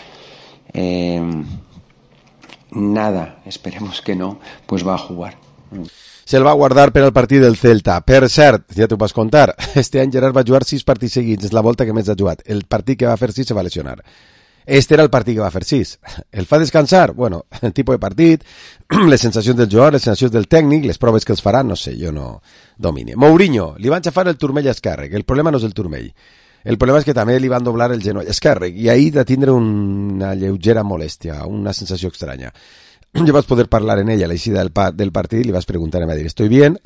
nada, esperemos que no, pues va a jugar. Se'l va guardar per al partit del Celta. Per cert, ja t'ho vas contar, este any Gerard va jugar 6 partits seguits, és la volta que més ha jugat. El partit que va fer 6 se va lesionar. Este era el partit que va fer 6. El fa descansar? Bueno, el tipus de partit, les sensacions del jugador, les sensacions del tècnic, les proves que els faran, no sé, jo no domine. Mourinho, li van xafar el turmell esquerre, el problema no és el turmell. El problema és que també li van doblar el genoll esquerre i ahir de tindre una lleugera molèstia, una sensació estranya. Yo vas poder hablar en ella a la eixida del partido y le vas a preguntar, me va a decir, estoy bien,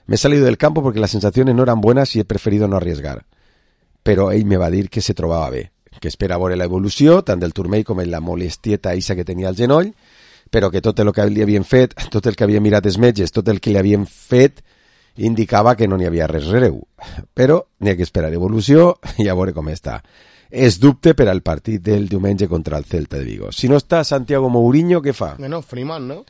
me he salido del campo porque las sensaciones no eran buenas y he preferido no arriesgar. Però ell me va dir que se trobava bé, que espera veure la evolució, tant del turmell com en la molestieta eixa que tenia al genoll, però que tot el que li havien fet, tot el que havia mirat els metges, tot el que li havien fet, indicava que no n'hi havia res greu. Però n'hi ha que esperar evolució i a veure com està. És dubte per al partit del diumenge contra el Celta de Vigo. Si no està Santiago Mourinho, què fa? No, Freeman, no?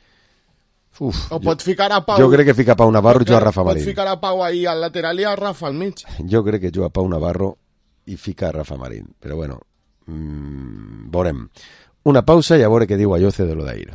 Uf, o pot ficar a Pau... Jo crec que fica Pau Navarro i juga a Rafa Marín. Pot ficar a Pau ahí al lateral i a Rafa al mig. Jo crec que juga Pau Navarro i fica a Rafa Marín. Però bueno, veurem. Una pausa y a veure què diu Ayoce de lo d'ahir.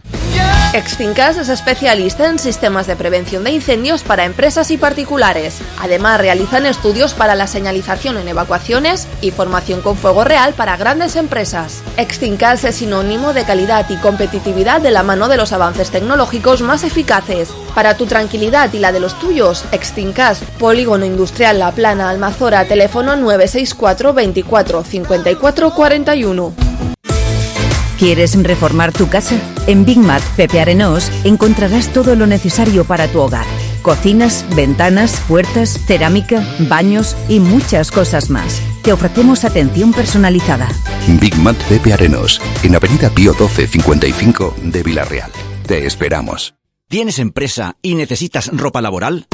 Exfincas es especialista en sistemas de prevención de incendios para empresas y particulares. Además, realizan estudios para la señalización en evacuaciones y formación con fuego real para grandes empresas. Exfincas es sinónimo de calidad y competitividad de la mano de los avances tecnológicos más eficaces. Para tu tranquilidad y la de los tuyos, Exfincas, Polígono Industrial La Plana, Almazora, teléfono 964 24 54 41. ¿Quieres reformar tu casa? En Big Mat Pepe Arenós encontrarás todo lo necesario para tu hogar. Cocinas, ventanas, puertas, cerámica, baños y muchas cosas más. Te ofrecemos atención personalizada. Big Mat Pepe Arenós, en Avenida Pío 12 55 de Villarreal. Te esperamos. ¿Tienes empresa y necesitas ropa laboral?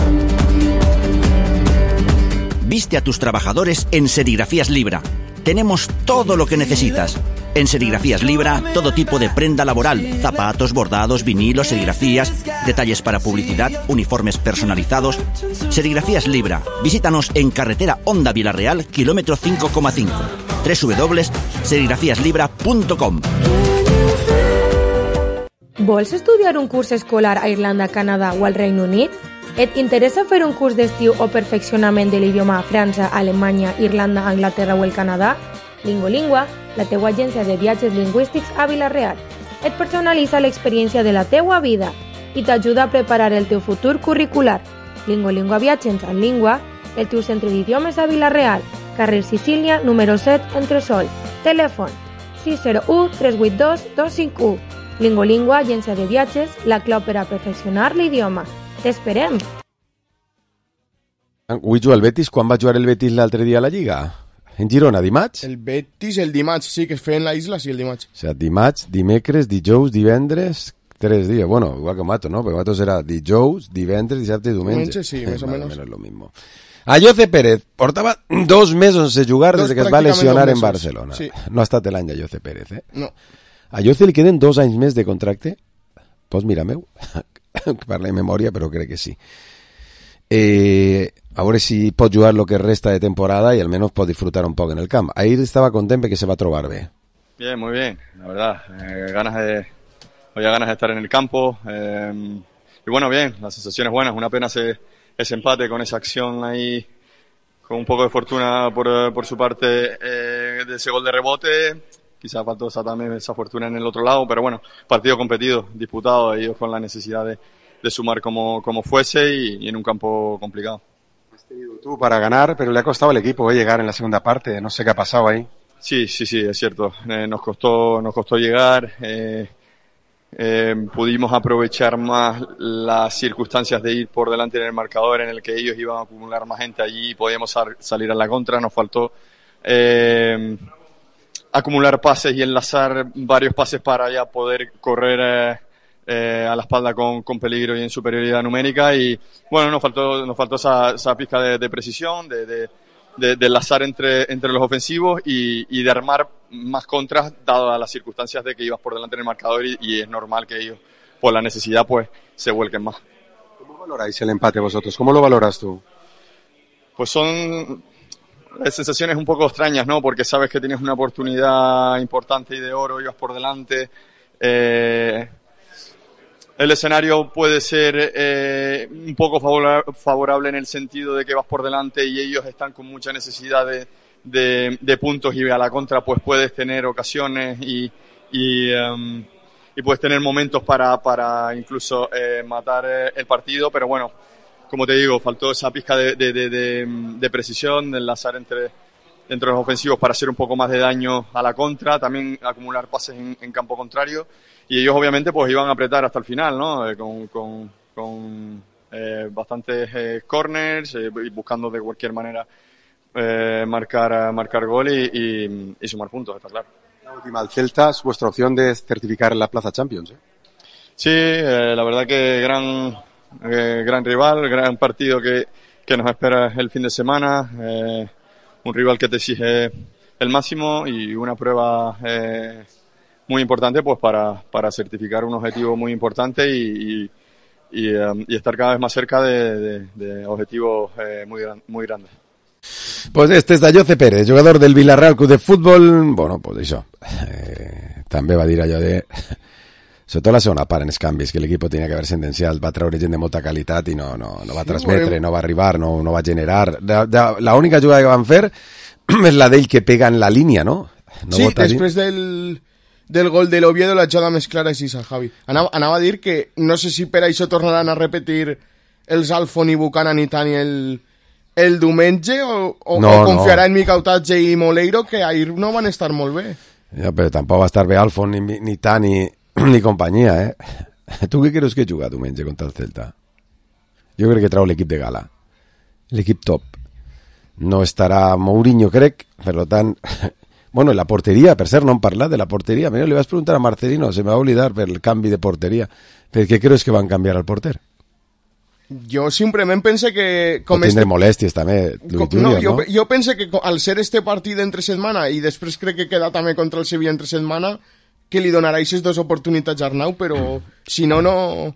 Viste a tus trabajadores en Serigrafías Libra. Tenemos todo lo que necesitas. En Serigrafías Libra, todo tipo de prenda laboral, zapatos, bordados, vinilos, serigrafías, detalles para publicidad, uniformes personalizados. Serigrafías Libra. Visítanos en carretera Honda Villarreal, kilómetro 5,5. www.serigrafiaslibra.com. Vols estudiar un curs escolar a Irlanda, Canadà o al Regne Unit? Et interessa fer un curs d'estiu o perfeccionament de l'idioma a França, Alemanya, Irlanda, Anglaterra o el Canadà? Lingolingua, la teua agència de viatges lingüístics a Vila-real. Et personalitza l'experiència de la teua vida i t'ajuda a preparar el teu futur curricular. Lingolingua Viatges en Língua, el teu centre d'idiomes a Vila-real, carrer Sicília, número 7, Entresol. Telèfon 601 382 251. Lingolingua, agència de viatges, la clau per a perfeccionar l'idioma. T'esperem. Avui juga el Betis. Quan va jugar el Betis l'altre dia a la Lliga? en Girona, dimarts? El Betis, el dimarts, sí, que es feien la isla, sí, el dimarts. O sea, dimarts, dimecres, dijous, divendres, 3 días. Bueno, igual que Mato, ¿no? Porque Mato será dijous, divendres, dissabte i diumenge. Sí, més o menos. Menos lo mismo. Ayoce Pérez portava 2 mesos sense jugar des que es va lesionar en Barcelona. Sí. No ha estat l'any d'Ayoce Pérez, eh? No. A Ayoce li queden 2 anys més de contracte? Pues mira, meu, parla de memòria, però crec que sí. A veure si pot jugar lo que resta de temporada y al menos pot disfrutar un poco en el camp. Ahí estaba contento que se va a trobar bien. Bien, muy bien, la verdad. Había ganas de estar en el campo. Y bueno, bien, las sensaciones buenas. Una pena ese empate con esa acción ahí, con un poco de fortuna por su parte de ese gol de rebote. Quizás faltó también esa fortuna en el otro lado, pero bueno, partido competido, disputado, ellos con la necesidad de sumar como fuese y en un campo complicado. Has tenido tú para ganar, pero le ha costado al equipo llegar en la segunda parte, no sé qué ha pasado ahí. Sí, es cierto, nos costó llegar, pudimos aprovechar más las circunstancias de ir por delante en el marcador en el que ellos iban a acumular más gente allí y podíamos salir a la contra, nos faltó acumular pases y enlazar varios pases para ya poder correr a la espalda con peligro y en superioridad numérica y bueno, nos faltó esa pizca de precisión, de enlazar entre los ofensivos y de armar más contras dadas las circunstancias de que ibas por delante en el marcador y es normal que ellos por la necesidad pues se vuelquen más. ¿Cómo valoráis el empate vosotros? ¿Cómo lo valoras tú? Pues son sensaciones un poco extrañas, ¿no? Porque sabes que tienes una oportunidad importante y de oro, ibas por delante. El escenario puede ser un poco favorable en el sentido de que vas por delante y ellos están con mucha necesidad de puntos y a la contra pues puedes tener ocasiones y puedes tener momentos para incluso matar el partido, pero bueno, como te digo, faltó esa pizca de precisión, de enlazar entre los ofensivos para hacer un poco más de daño a la contra, también acumular pases en campo contrario. Y ellos obviamente pues iban a apretar hasta el final, ¿no? Con bastantes corners, buscando de cualquier manera marcar gol y sumar puntos, está claro. La última, el Celta es vuestra opción de certificar la plaza Champions, ¿eh? Sí, la verdad que gran rival, gran partido que nos espera el fin de semana, un rival que te exige el máximo y una prueba muy importante pues para certificar un objetivo muy importante y estar cada vez más cerca de objetivos muy grandes. Pues este és Ayoce Pérez, jugador del Villarreal Club de Futbol. Bueno, pues això, també va dir allò de sobretot la segona part en els canvis, que l'equip tenia que haver sentenciat, va treure gent de molta qualitat i no va transmetre, no va arribar, no va generar. La única jugada que van fer és la d'ell que pega en la línia, no? Sí, després del gol de l'Oviedo la jugada més clara és Isa, Javi. Anava a dir que no sé si per això tornaran a repetir els Alfon i Buchanan i Tani el diumenge o confiarà en Micautatge i Moleiro, que ahir no van estar molt bé. Ja, però tampoc va estar bé Alfon ni Tani ni companyia, eh? Tu què creus que juga diumenge contra el Celta? Jo crec que trau l'equip de gala, l'equip top. No estarà Mourinho, crec, per tant... Bueno, la porteria, per cert, no hem parlat de la porteria. Mira, li vaig preguntar a Marcelino, se me va oblidar per el canvi de porteria. Per què creus que van canviar al porter? Jo simplement pense que... O tindre molèsties també, Luis Junior, no? Jo pense que al ser este partit entre setmana i després crec que queda també contra el Sevilla entre setmana, que li donarà aquestes dues oportunitats a Arnau, però si no...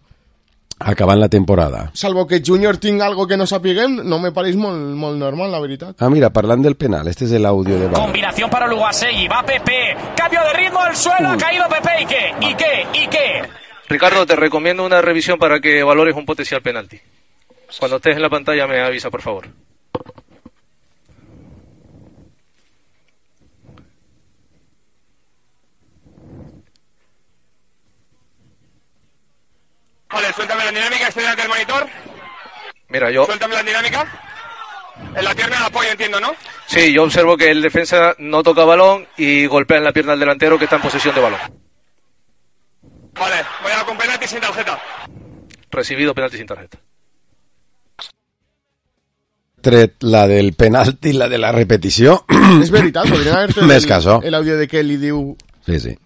Acabant la temporada. Salvo que Junior tinga algo que no sapiguem, no me pareix molt normal, la veritat. Ah, mira, parlant del penal, este es el audio de Bar. Combinación para Lugasegui, va Pepe, cambio de ritmo al suelo, ha caído Pepe, ¿y qué? Ricardo, te recomiendo una revisión para que valores un potencial penalti. Cuando estés en la pantalla me avisa, por favor. Vale, suéltame la dinámica, estoy delante del monitor. Mira, yo... Suéltame la dinámica. En la pierna de apoyo, entiendo, ¿no? Sí, yo observo que el defensa no toca balón y golpea en la pierna del delantero que está en posesión de balón. Vale, voy a con penalti sin tarjeta. Recibido penalti sin tarjeta. tret la del penalti i la de la repetició. És veritat, podrien haver fet el audio de què li diu... Sí.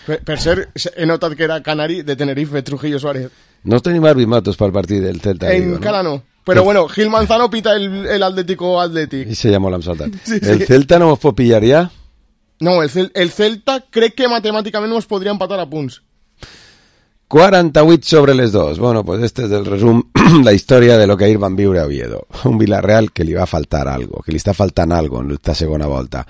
Per ser, he notat que era canari de Tenerife, Trujillo Suárez. No tenim arbimatos pel partit del Celta. Encara no. Però bueno, Gil Manzano pita el Atlético Athletic. I se llamó l'Amsaltat. Sí. El Celta no mos pot pillar ja? No, el Celta crec que matemàticament nos podria empatar a punts. 48 sobre les 2. Bueno, pues este es el resum, la història de lo que ahir van viure a Oviedo. Un Villarreal que li va faltar algo, que li està faltant algo en esta segona volta.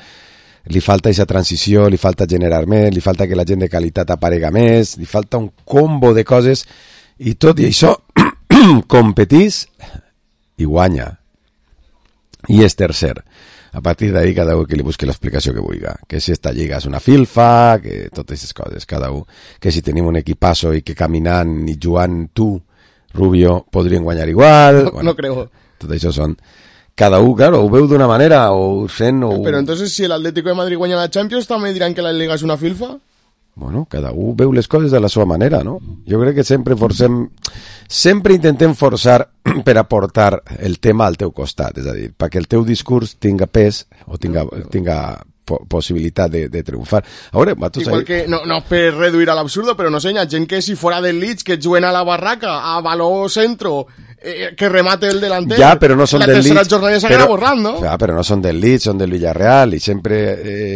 Li falta aquesta transició, li falta generar més, li falta que la gent de qualitat aparega més, li falta un combo de coses, i tot i això competís i guanya. I és tercer. A partir d'ahí cada un que li busqui l'explicació que vulgui. Que si esta lliga és una filfa, que totes aquestes coses, cada un. Que si tenim un equipasso i que caminant i jugant tu, Rubio, podrien guanyar igual. No creo. Tot això són... Cada un, claro, ho veu d'una manera o sent... O... Però entonces si el Atlético de Madrid guanya la Champions també diran que la Liga és una filfa? Bueno, cada un veu les coses de la seva manera, no? Jo crec que sempre intentem forçar per aportar el tema al teu costat, és a dir, perquè el teu discurs tinga pes o tinga possibilitat de triomfar. A veure, igual que, no per reduir a l'absurdo, però no sé, hi ha gent que si fora del Leeds, que juguen a la barraca, a baló centro, que remate el delanter. Ja, però no són del Leeds. La tercera jornada s'agrada borrant, no? Ja, però no són del Leeds, són del Villarreal, i sempre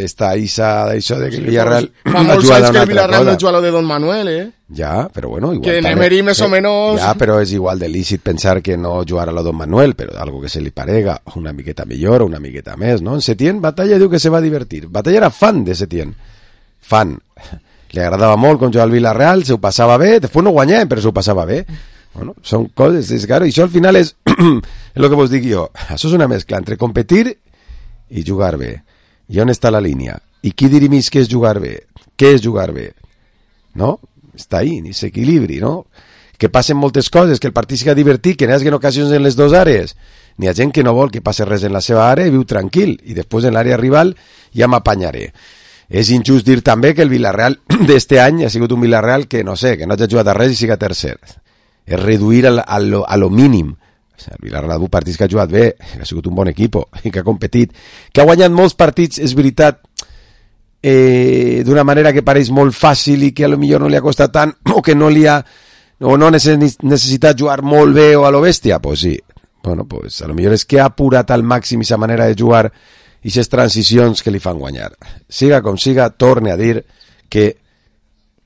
està això de que el Villarreal fa molts anys que el Villarreal no juga lo de Don Manuel, Ja, però bueno, igual... Que Emery més o menos... Ja, però és igual de lícit pensar que no jugarà a Don Manuel, però algo que se li parega, una miqueta millor o una miqueta més, no? En Setién, Batalla diu que se va divertir. Batalla era fan de Setién. Fan. Li agradava molt quan jugava al Villarreal, se ho passava bé, després no guanyem, però se ho passava bé. Bueno, són coses, és claro, i això al final és el que vos dic jo, això és una mescla entre competir i jugar bé. I on està la línia? I qui dirimís què és jugar bé? Què és jugar bé? No? Està ahí, ni s'equilibri, no? Que passen moltes coses, que el partit siga divertit, que n'hi hagi ocasions en les dues àrees. N'hi ha gent que no vol que passi res en la seva àrea i viu tranquil, i després en l'àrea rival ja m'apanyaré. És injust dir també que el Villarreal d'este any ha sigut un Villarreal que, no sé, que no hagi jugat a res i siga tercer. És reduir a lo mínim. El Villarreal ha partits que ha jugat bé, que ha sigut un bon equip, que ha competit, que ha guanyat molts partits, és veritat, d'una manera que pareix molt fàcil i que a lo millor no li ha costat tant, o que no li ha o no necessitat jugar molt bé o a lo bèstia, pues sí. Bueno, pues a lo millor és que ha apurat al màxim aquesta manera de jugar i aquestes transicions que li fan guanyar. Siga com siga, torne a dir que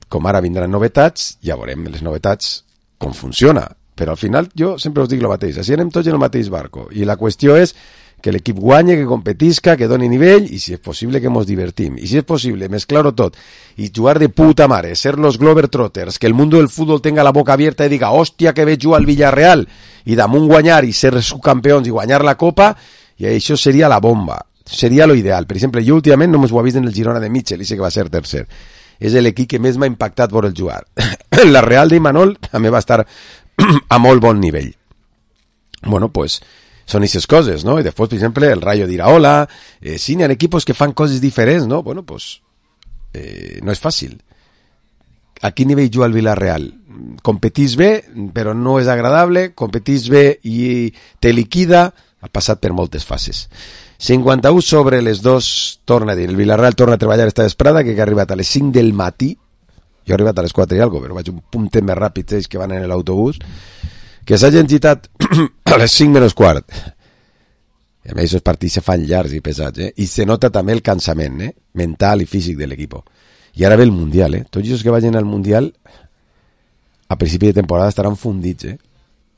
com ara vindran novetats, ja veurem les novetats com funciona, però al final jo sempre us dic el mateix, així anem tots en el mateix barco, i la qüestió és que l'equip guanye, que competisca, que doni nivell, i si és possible que mos divertim, i si és possible mesclar-ho tot, i jugar de puta mare, ser los Globetrotters, que el mundo del fútbol tenga la boca abierta i diga, hòstia, que veig jugar al Villarreal, i damunt guanyar i ser subcampions i guanyar la Copa, i això seria la bomba, seria lo ideal. Per exemple, jo últimament no m'ho he vist en el Girona de Mitchell, i sé que va ser tercer. És l'equip que més m'ha impactat por el jugar. La Real de Imanol també va estar a molt bon nivell. Bueno, pues són aquestes coses, no? I després, per exemple, el Rayo d'Iraola, sí, n'hi ha equipos que fan coses diferents, no? Bueno, pues no és fàcil. A quin nivell juga el Villarreal? Competís bé, però no és agradable, competís bé i te liquida, ha passat per moltes fases. 51 sobre les 2, torna a dir, el Villarreal torna a treballar esta vesprada, que ha arribat a les 5 del matí, jo he arribat a les 4 i algo, però vaig un puntet més ràpid ells que van en l'autobús, que s'hagin gitat a les 5 menys quart. I a més, aquests partits se fan llargs i pesats, i se nota també el cansament, mental i físic de l'equip. I ara ve el Mundial, tots els que vagin al Mundial a principi de temporada estaran fundits,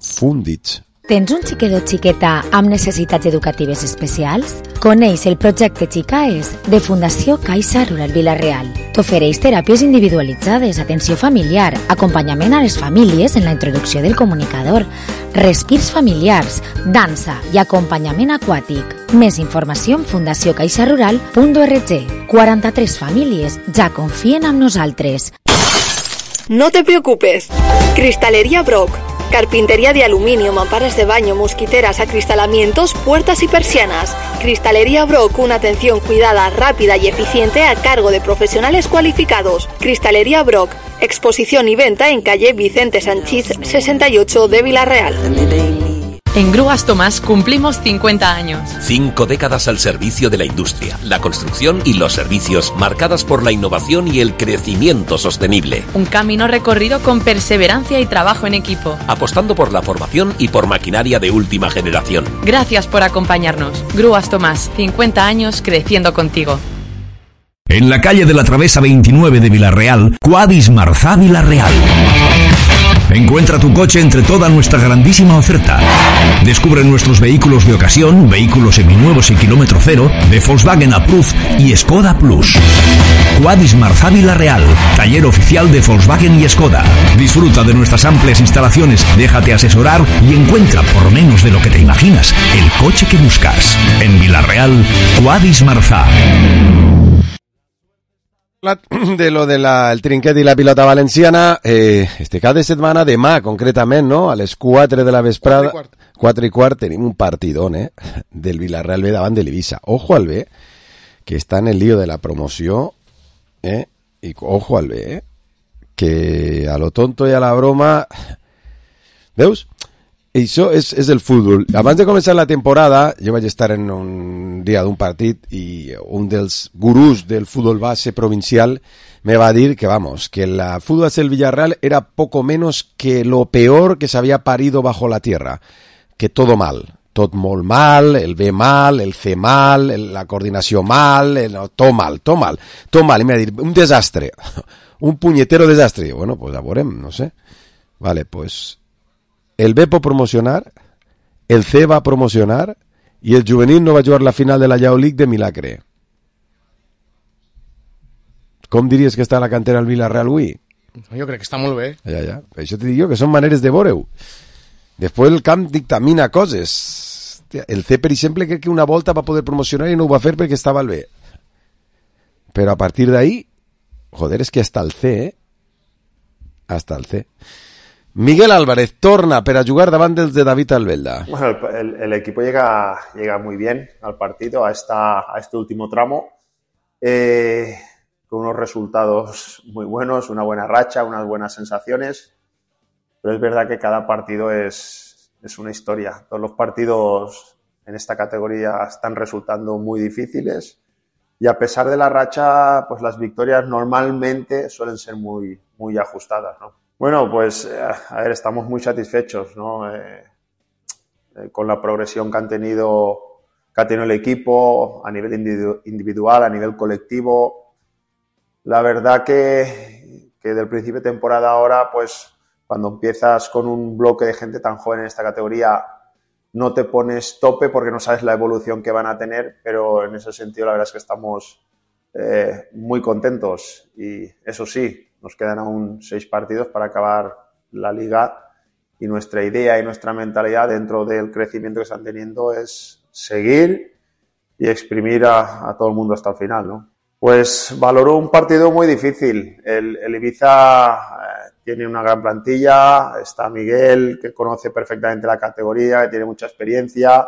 fundits. Tens un xiquet o xiqueta amb necessitats educatives especials? Coneix el projecte Xicaes de Fundació Caixa Rural Villarreal. T'ofereix teràpies individualitzades, atenció familiar, acompanyament a les famílies en la introducció del comunicador, respirs familiars, dansa i acompanyament aquàtic. Més informació en fundaciocaixarural.org. 43 famílies ja confien en nosaltres. No te preocupes. Cristalería Brock. Carpintería de aluminio, mamparas de baño, mosquiteras, acristalamientos, puertas y persianas. Cristalería Brock, una atención cuidada, rápida y eficiente a cargo de profesionales cualificados. Cristalería Brock, exposición y venta en calle Vicente Sanchís 68 de Villarreal. En Grúas Tomás cumplimos 50 años. 5 décadas al servicio de la industria, la construcción y los servicios, marcadas por la innovación y el crecimiento sostenible. Un camino recorrido con perseverancia y trabajo en equipo. Apostando por la formación y por maquinaria de última generación. Gracias por acompañarnos. Grúas Tomás, 50 años creciendo contigo. En la calle de la Travesa 29 de Vilarreal, Quadis Marzá Vilarreal. Encuentra tu coche entre toda nuestra grandísima oferta. Descubre nuestros vehículos de ocasión, vehículos seminuevos y kilómetro cero, de Volkswagen Approved y Skoda Plus. Quadis Marzá Vilarreal, taller oficial de Volkswagen y Skoda. Disfruta de nuestras amplias instalaciones, déjate asesorar y encuentra, por menos de lo que te imaginas, el coche que buscas. En Vilarreal, Quadis Marzá. De lo del trinquet i la pilota valenciana, este cap de setmana, demà concretament, no? A les 4 de la vesprada, 4 i quart, tenim un partidón, del Villarreal B davant de l'Eivissa. Ojo al B, que està en el lío de la promoció, i ojo al B, que a lo tonto i a la broma, veus? Això és el futbol. Abans de començar la temporada, jo vaig estar en un dia d'un partit i un dels gurús del futbol base provincial me va dir que, vamos, que la fútbol del Villarreal era poco menos que lo peor que se había parido bajo la tierra. Que todo mal. Tot molt mal, el B mal, el C mal, la coordinació mal, tot mal. I me va dir, un desastre. Un punyetero desastre. Bueno, pues a veurem, no sé. Vale, pues... El B pot promocionar, el C va promocionar i el juvenil no va jugar la final de la Yao League de milagre. Com diries que està la cantera al Villarreal avui? Jo crec que està molt bé. Ja. Això t'ho dic jo, que són maneres de veure-ho. Després el camp dictamina coses. El C, per exemple, crec que una volta va poder promocionar i no ho va fer perquè estava al B. Però a partir d'ahí, joder, és que hasta el C, Hasta el C. Miguel Álvarez torna para jugar davant dels de David Albelda. Bueno, el equipo llega muy bien al partido, a este último tramo, con unos resultados muy buenos, una buena racha, unas buenas sensaciones, pero es verdad que cada partido es una historia. Todos los partidos en esta categoría están resultando muy difíciles y a pesar de la racha, pues las victorias normalmente suelen ser muy ajustadas, ¿no? Bueno, pues, a ver, estamos muy satisfechos, ¿no? Con la progresión que ha tenido el equipo a nivel individual, a nivel colectivo. La verdad que del principio de temporada ahora, pues, cuando empiezas con un bloque de gente tan joven en esta categoría, no te pones tope porque no sabes la evolución que van a tener, pero en ese sentido la verdad es que estamos muy contentos y eso sí, nos quedan aún 6 partidos para acabar la liga y nuestra idea y nuestra mentalidad dentro del crecimiento que están teniendo es seguir y exprimir a todo el mundo hasta el final, ¿no? Pues valoró un partido muy difícil. El Ibiza tiene una gran plantilla, está Miguel, que conoce perfectamente la categoría, que tiene mucha experiencia.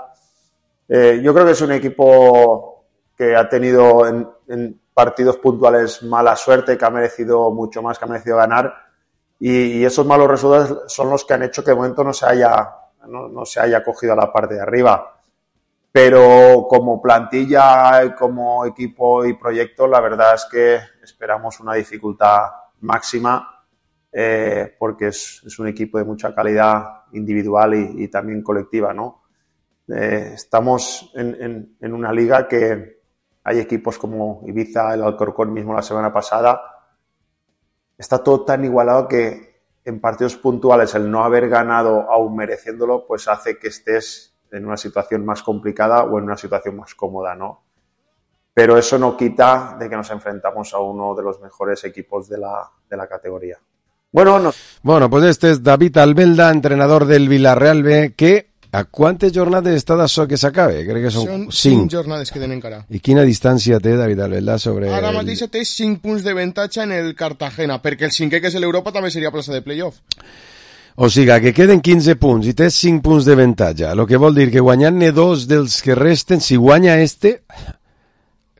Yo creo que es un equipo que ha tenido en partidos puntuales mala suerte, que ha merecido mucho más, que ha merecido ganar, y esos malos resultados son los que han hecho que de momento no se haya cogido a la parte de arriba. Pero como plantilla, como equipo y proyecto, la verdad es que esperamos una dificultad máxima, porque es un equipo de mucha calidad individual y también colectiva, ¿no? Estamos en una liga que hay equipos como Ibiza, el Alcorcón mismo la semana pasada. Está todo tan igualado que en partidos puntuales el no haber ganado aún mereciéndolo pues hace que estés en una situación más complicada o en una situación más cómoda, ¿no? Pero eso no quita de que nos enfrentamos a uno de los mejores equipos de la categoría. Bueno, pues este es David Albelda, entrenador del Villarreal B, que a quantes jornades està d'això que s'acabe? Crec que són 5 jornades que tenen encara. I quina distància té David Albelda sobre... Ara mateix té 5 punts de avantatge en el Cartagena, perquè el 5è, que és l'Europa, també seria plaça de playoff. O sigui, que queden 15 punts i té 5 punts d'avantatge, el que vol dir que guanyant-ne 2 dels que resten, si guanya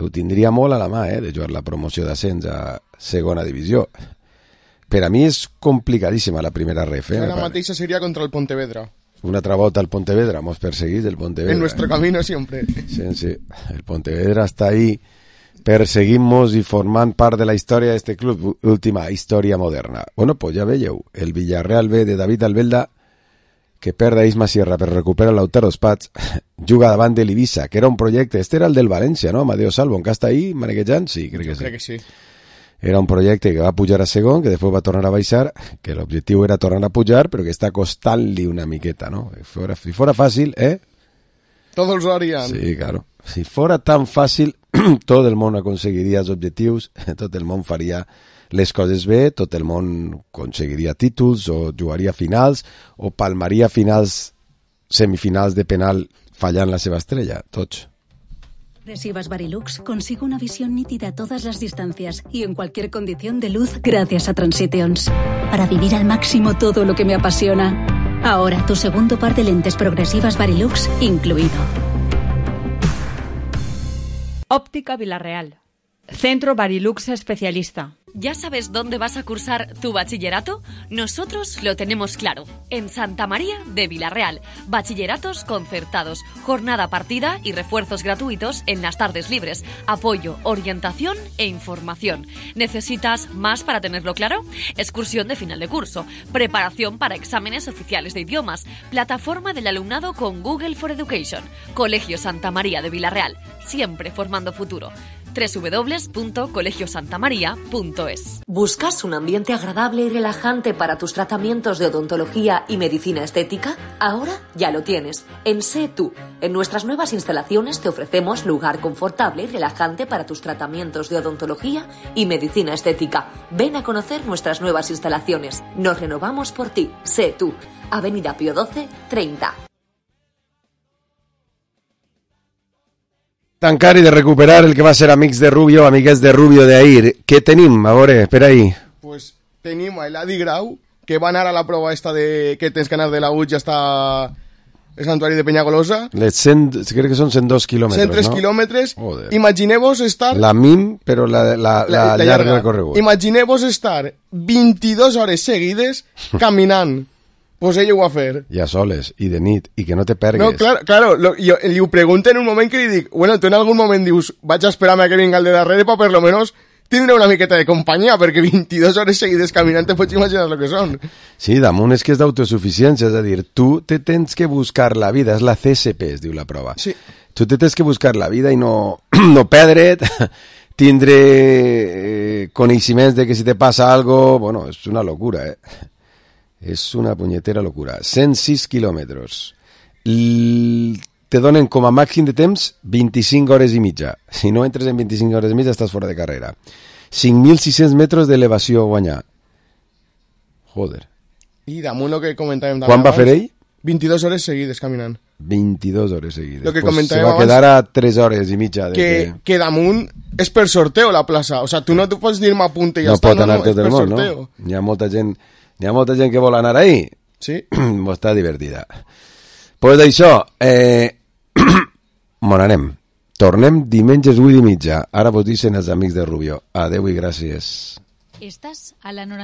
ho tindria molt a la mà, de jugar la promoció d'ascens a segona divisió. Per a mi és complicadíssima la primera ref. Ara mateixa seria contra el Pontevedra. una altra volta al Pontevedra, mos perseguís el Pontevedra. En nuestro camino siempre. Sí, el Pontevedra está ahí perseguimos i formant part de la història d'este club, última història moderna. Bueno, pues ja veieu, el Villarreal B de David Albelda, que perd a Isma Sierra per recuperar Lautaro Spats, juga davant de l'Ibiza, que era un projecte, este era el del València, no? Amadeo Salvo, encara està ahí maneguejant? Sí, crec que sí. Crec que sí. Era un projecte que va pujar a segon, que després va tornar a baixar, que l'objectiu era tornar a pujar, però que està costant-li una miqueta, no? Si fora fàcil, Todos lo harían. Sí, claro. Si fora tan fàcil, tot el món aconseguiria els objectius, tot el món faria les coses bé, tot el món aconseguiria títols o jugaria finals o palmaria finals, semifinals de penal fallant la seva estrella, tots. Progresivas Varilux consigue una visión nítida a todas las distancias y en cualquier condición de luz gracias a Transitions. Para vivir al máximo todo lo que me apasiona. Ahora tu segundo par de lentes progresivas Varilux incluido. Óptica Villarreal. Centro Varilux especialista. ¿Ya sabes dónde vas a cursar tu bachillerato? Nosotros lo tenemos claro. En Santa María de Villarreal. Bachilleratos concertados, jornada partida y refuerzos gratuitos en las tardes libres. Apoyo, orientación e información. ¿Necesitas más para tenerlo claro? Excursión de final de curso. Preparación para exámenes oficiales de idiomas. Plataforma del alumnado con Google for Education. Colegio Santa María de Villarreal. Siempre formando futuro. www.colegiosantamaria.es. ¿Buscas un ambiente agradable y relajante para tus tratamientos de odontología y medicina estética? Ahora ya lo tienes. En Sé Tú. En nuestras nuevas instalaciones te ofrecemos lugar confortable y relajante para tus tratamientos de odontología y medicina estética. Ven a conocer nuestras nuevas instalaciones. Nos renovamos por ti. Sé Tú. Avenida Pío XII, 30. Tancar i de recuperar el que va ser amics de Rubio, amigues de Rubio d'ahir. Què tenim? A veure, espera ahí. Pues tenim a l'Adi Grau, que va anar a la prova esta de que tens que anar de la UT i hasta el santuari de Peñagolosa. Crec que són 102 quilòmetres, 103 no? quilòmetres. Joder. Imagineu-vos estar... La MIM, però la llarga recorregut. Imagineu-vos estar 22 hores seguides caminant. Pues ell ho va fer. I a soles, i de nit, i que no te pergues. No, claro, jo li ho pregunto en un moment que li dic, bueno, tu en algun moment dius, vaig a esperar-me a que vinga el de darrere per lo menos tindre una miqueta de companyia, perquè 22 hores seguides caminant te pots imaginar el que són. Sí, damunt és que és d'autosuficiència, és a dir, tu te tens que buscar la vida, és la CSP, es diu la prova. Sí. Tu te tens que buscar la vida i no perdre't, tindre coneixements de que si te passa algo, bueno, és una locura, És una punyetera locura. 106 quilòmetres. Te donen com a màxim de temps 25 hores i mitja. Si no entres en 25 hores i mitja estàs fora de carrera. 5.600 metres d'elevació a guanyar. Joder. I damunt el que comentàvem Quan va fer ell? 22 hores seguides caminant. 22 hores seguides. Lo que pues comentàvem se va quedar a 3 hores i mitja. Que damunt és per sorteo la plaça. O sea, tu no pots dir-me a punta i ja no està. Pot anar és tot el món, no? Hi ha molta gent que vol anar ahí. Sí. Està divertida. Pues d'això, mon anem. Tornem diumenges 8:30. Ara vos dicen els amics de Rubio. Adeu i gràcies. Estàs a la 90.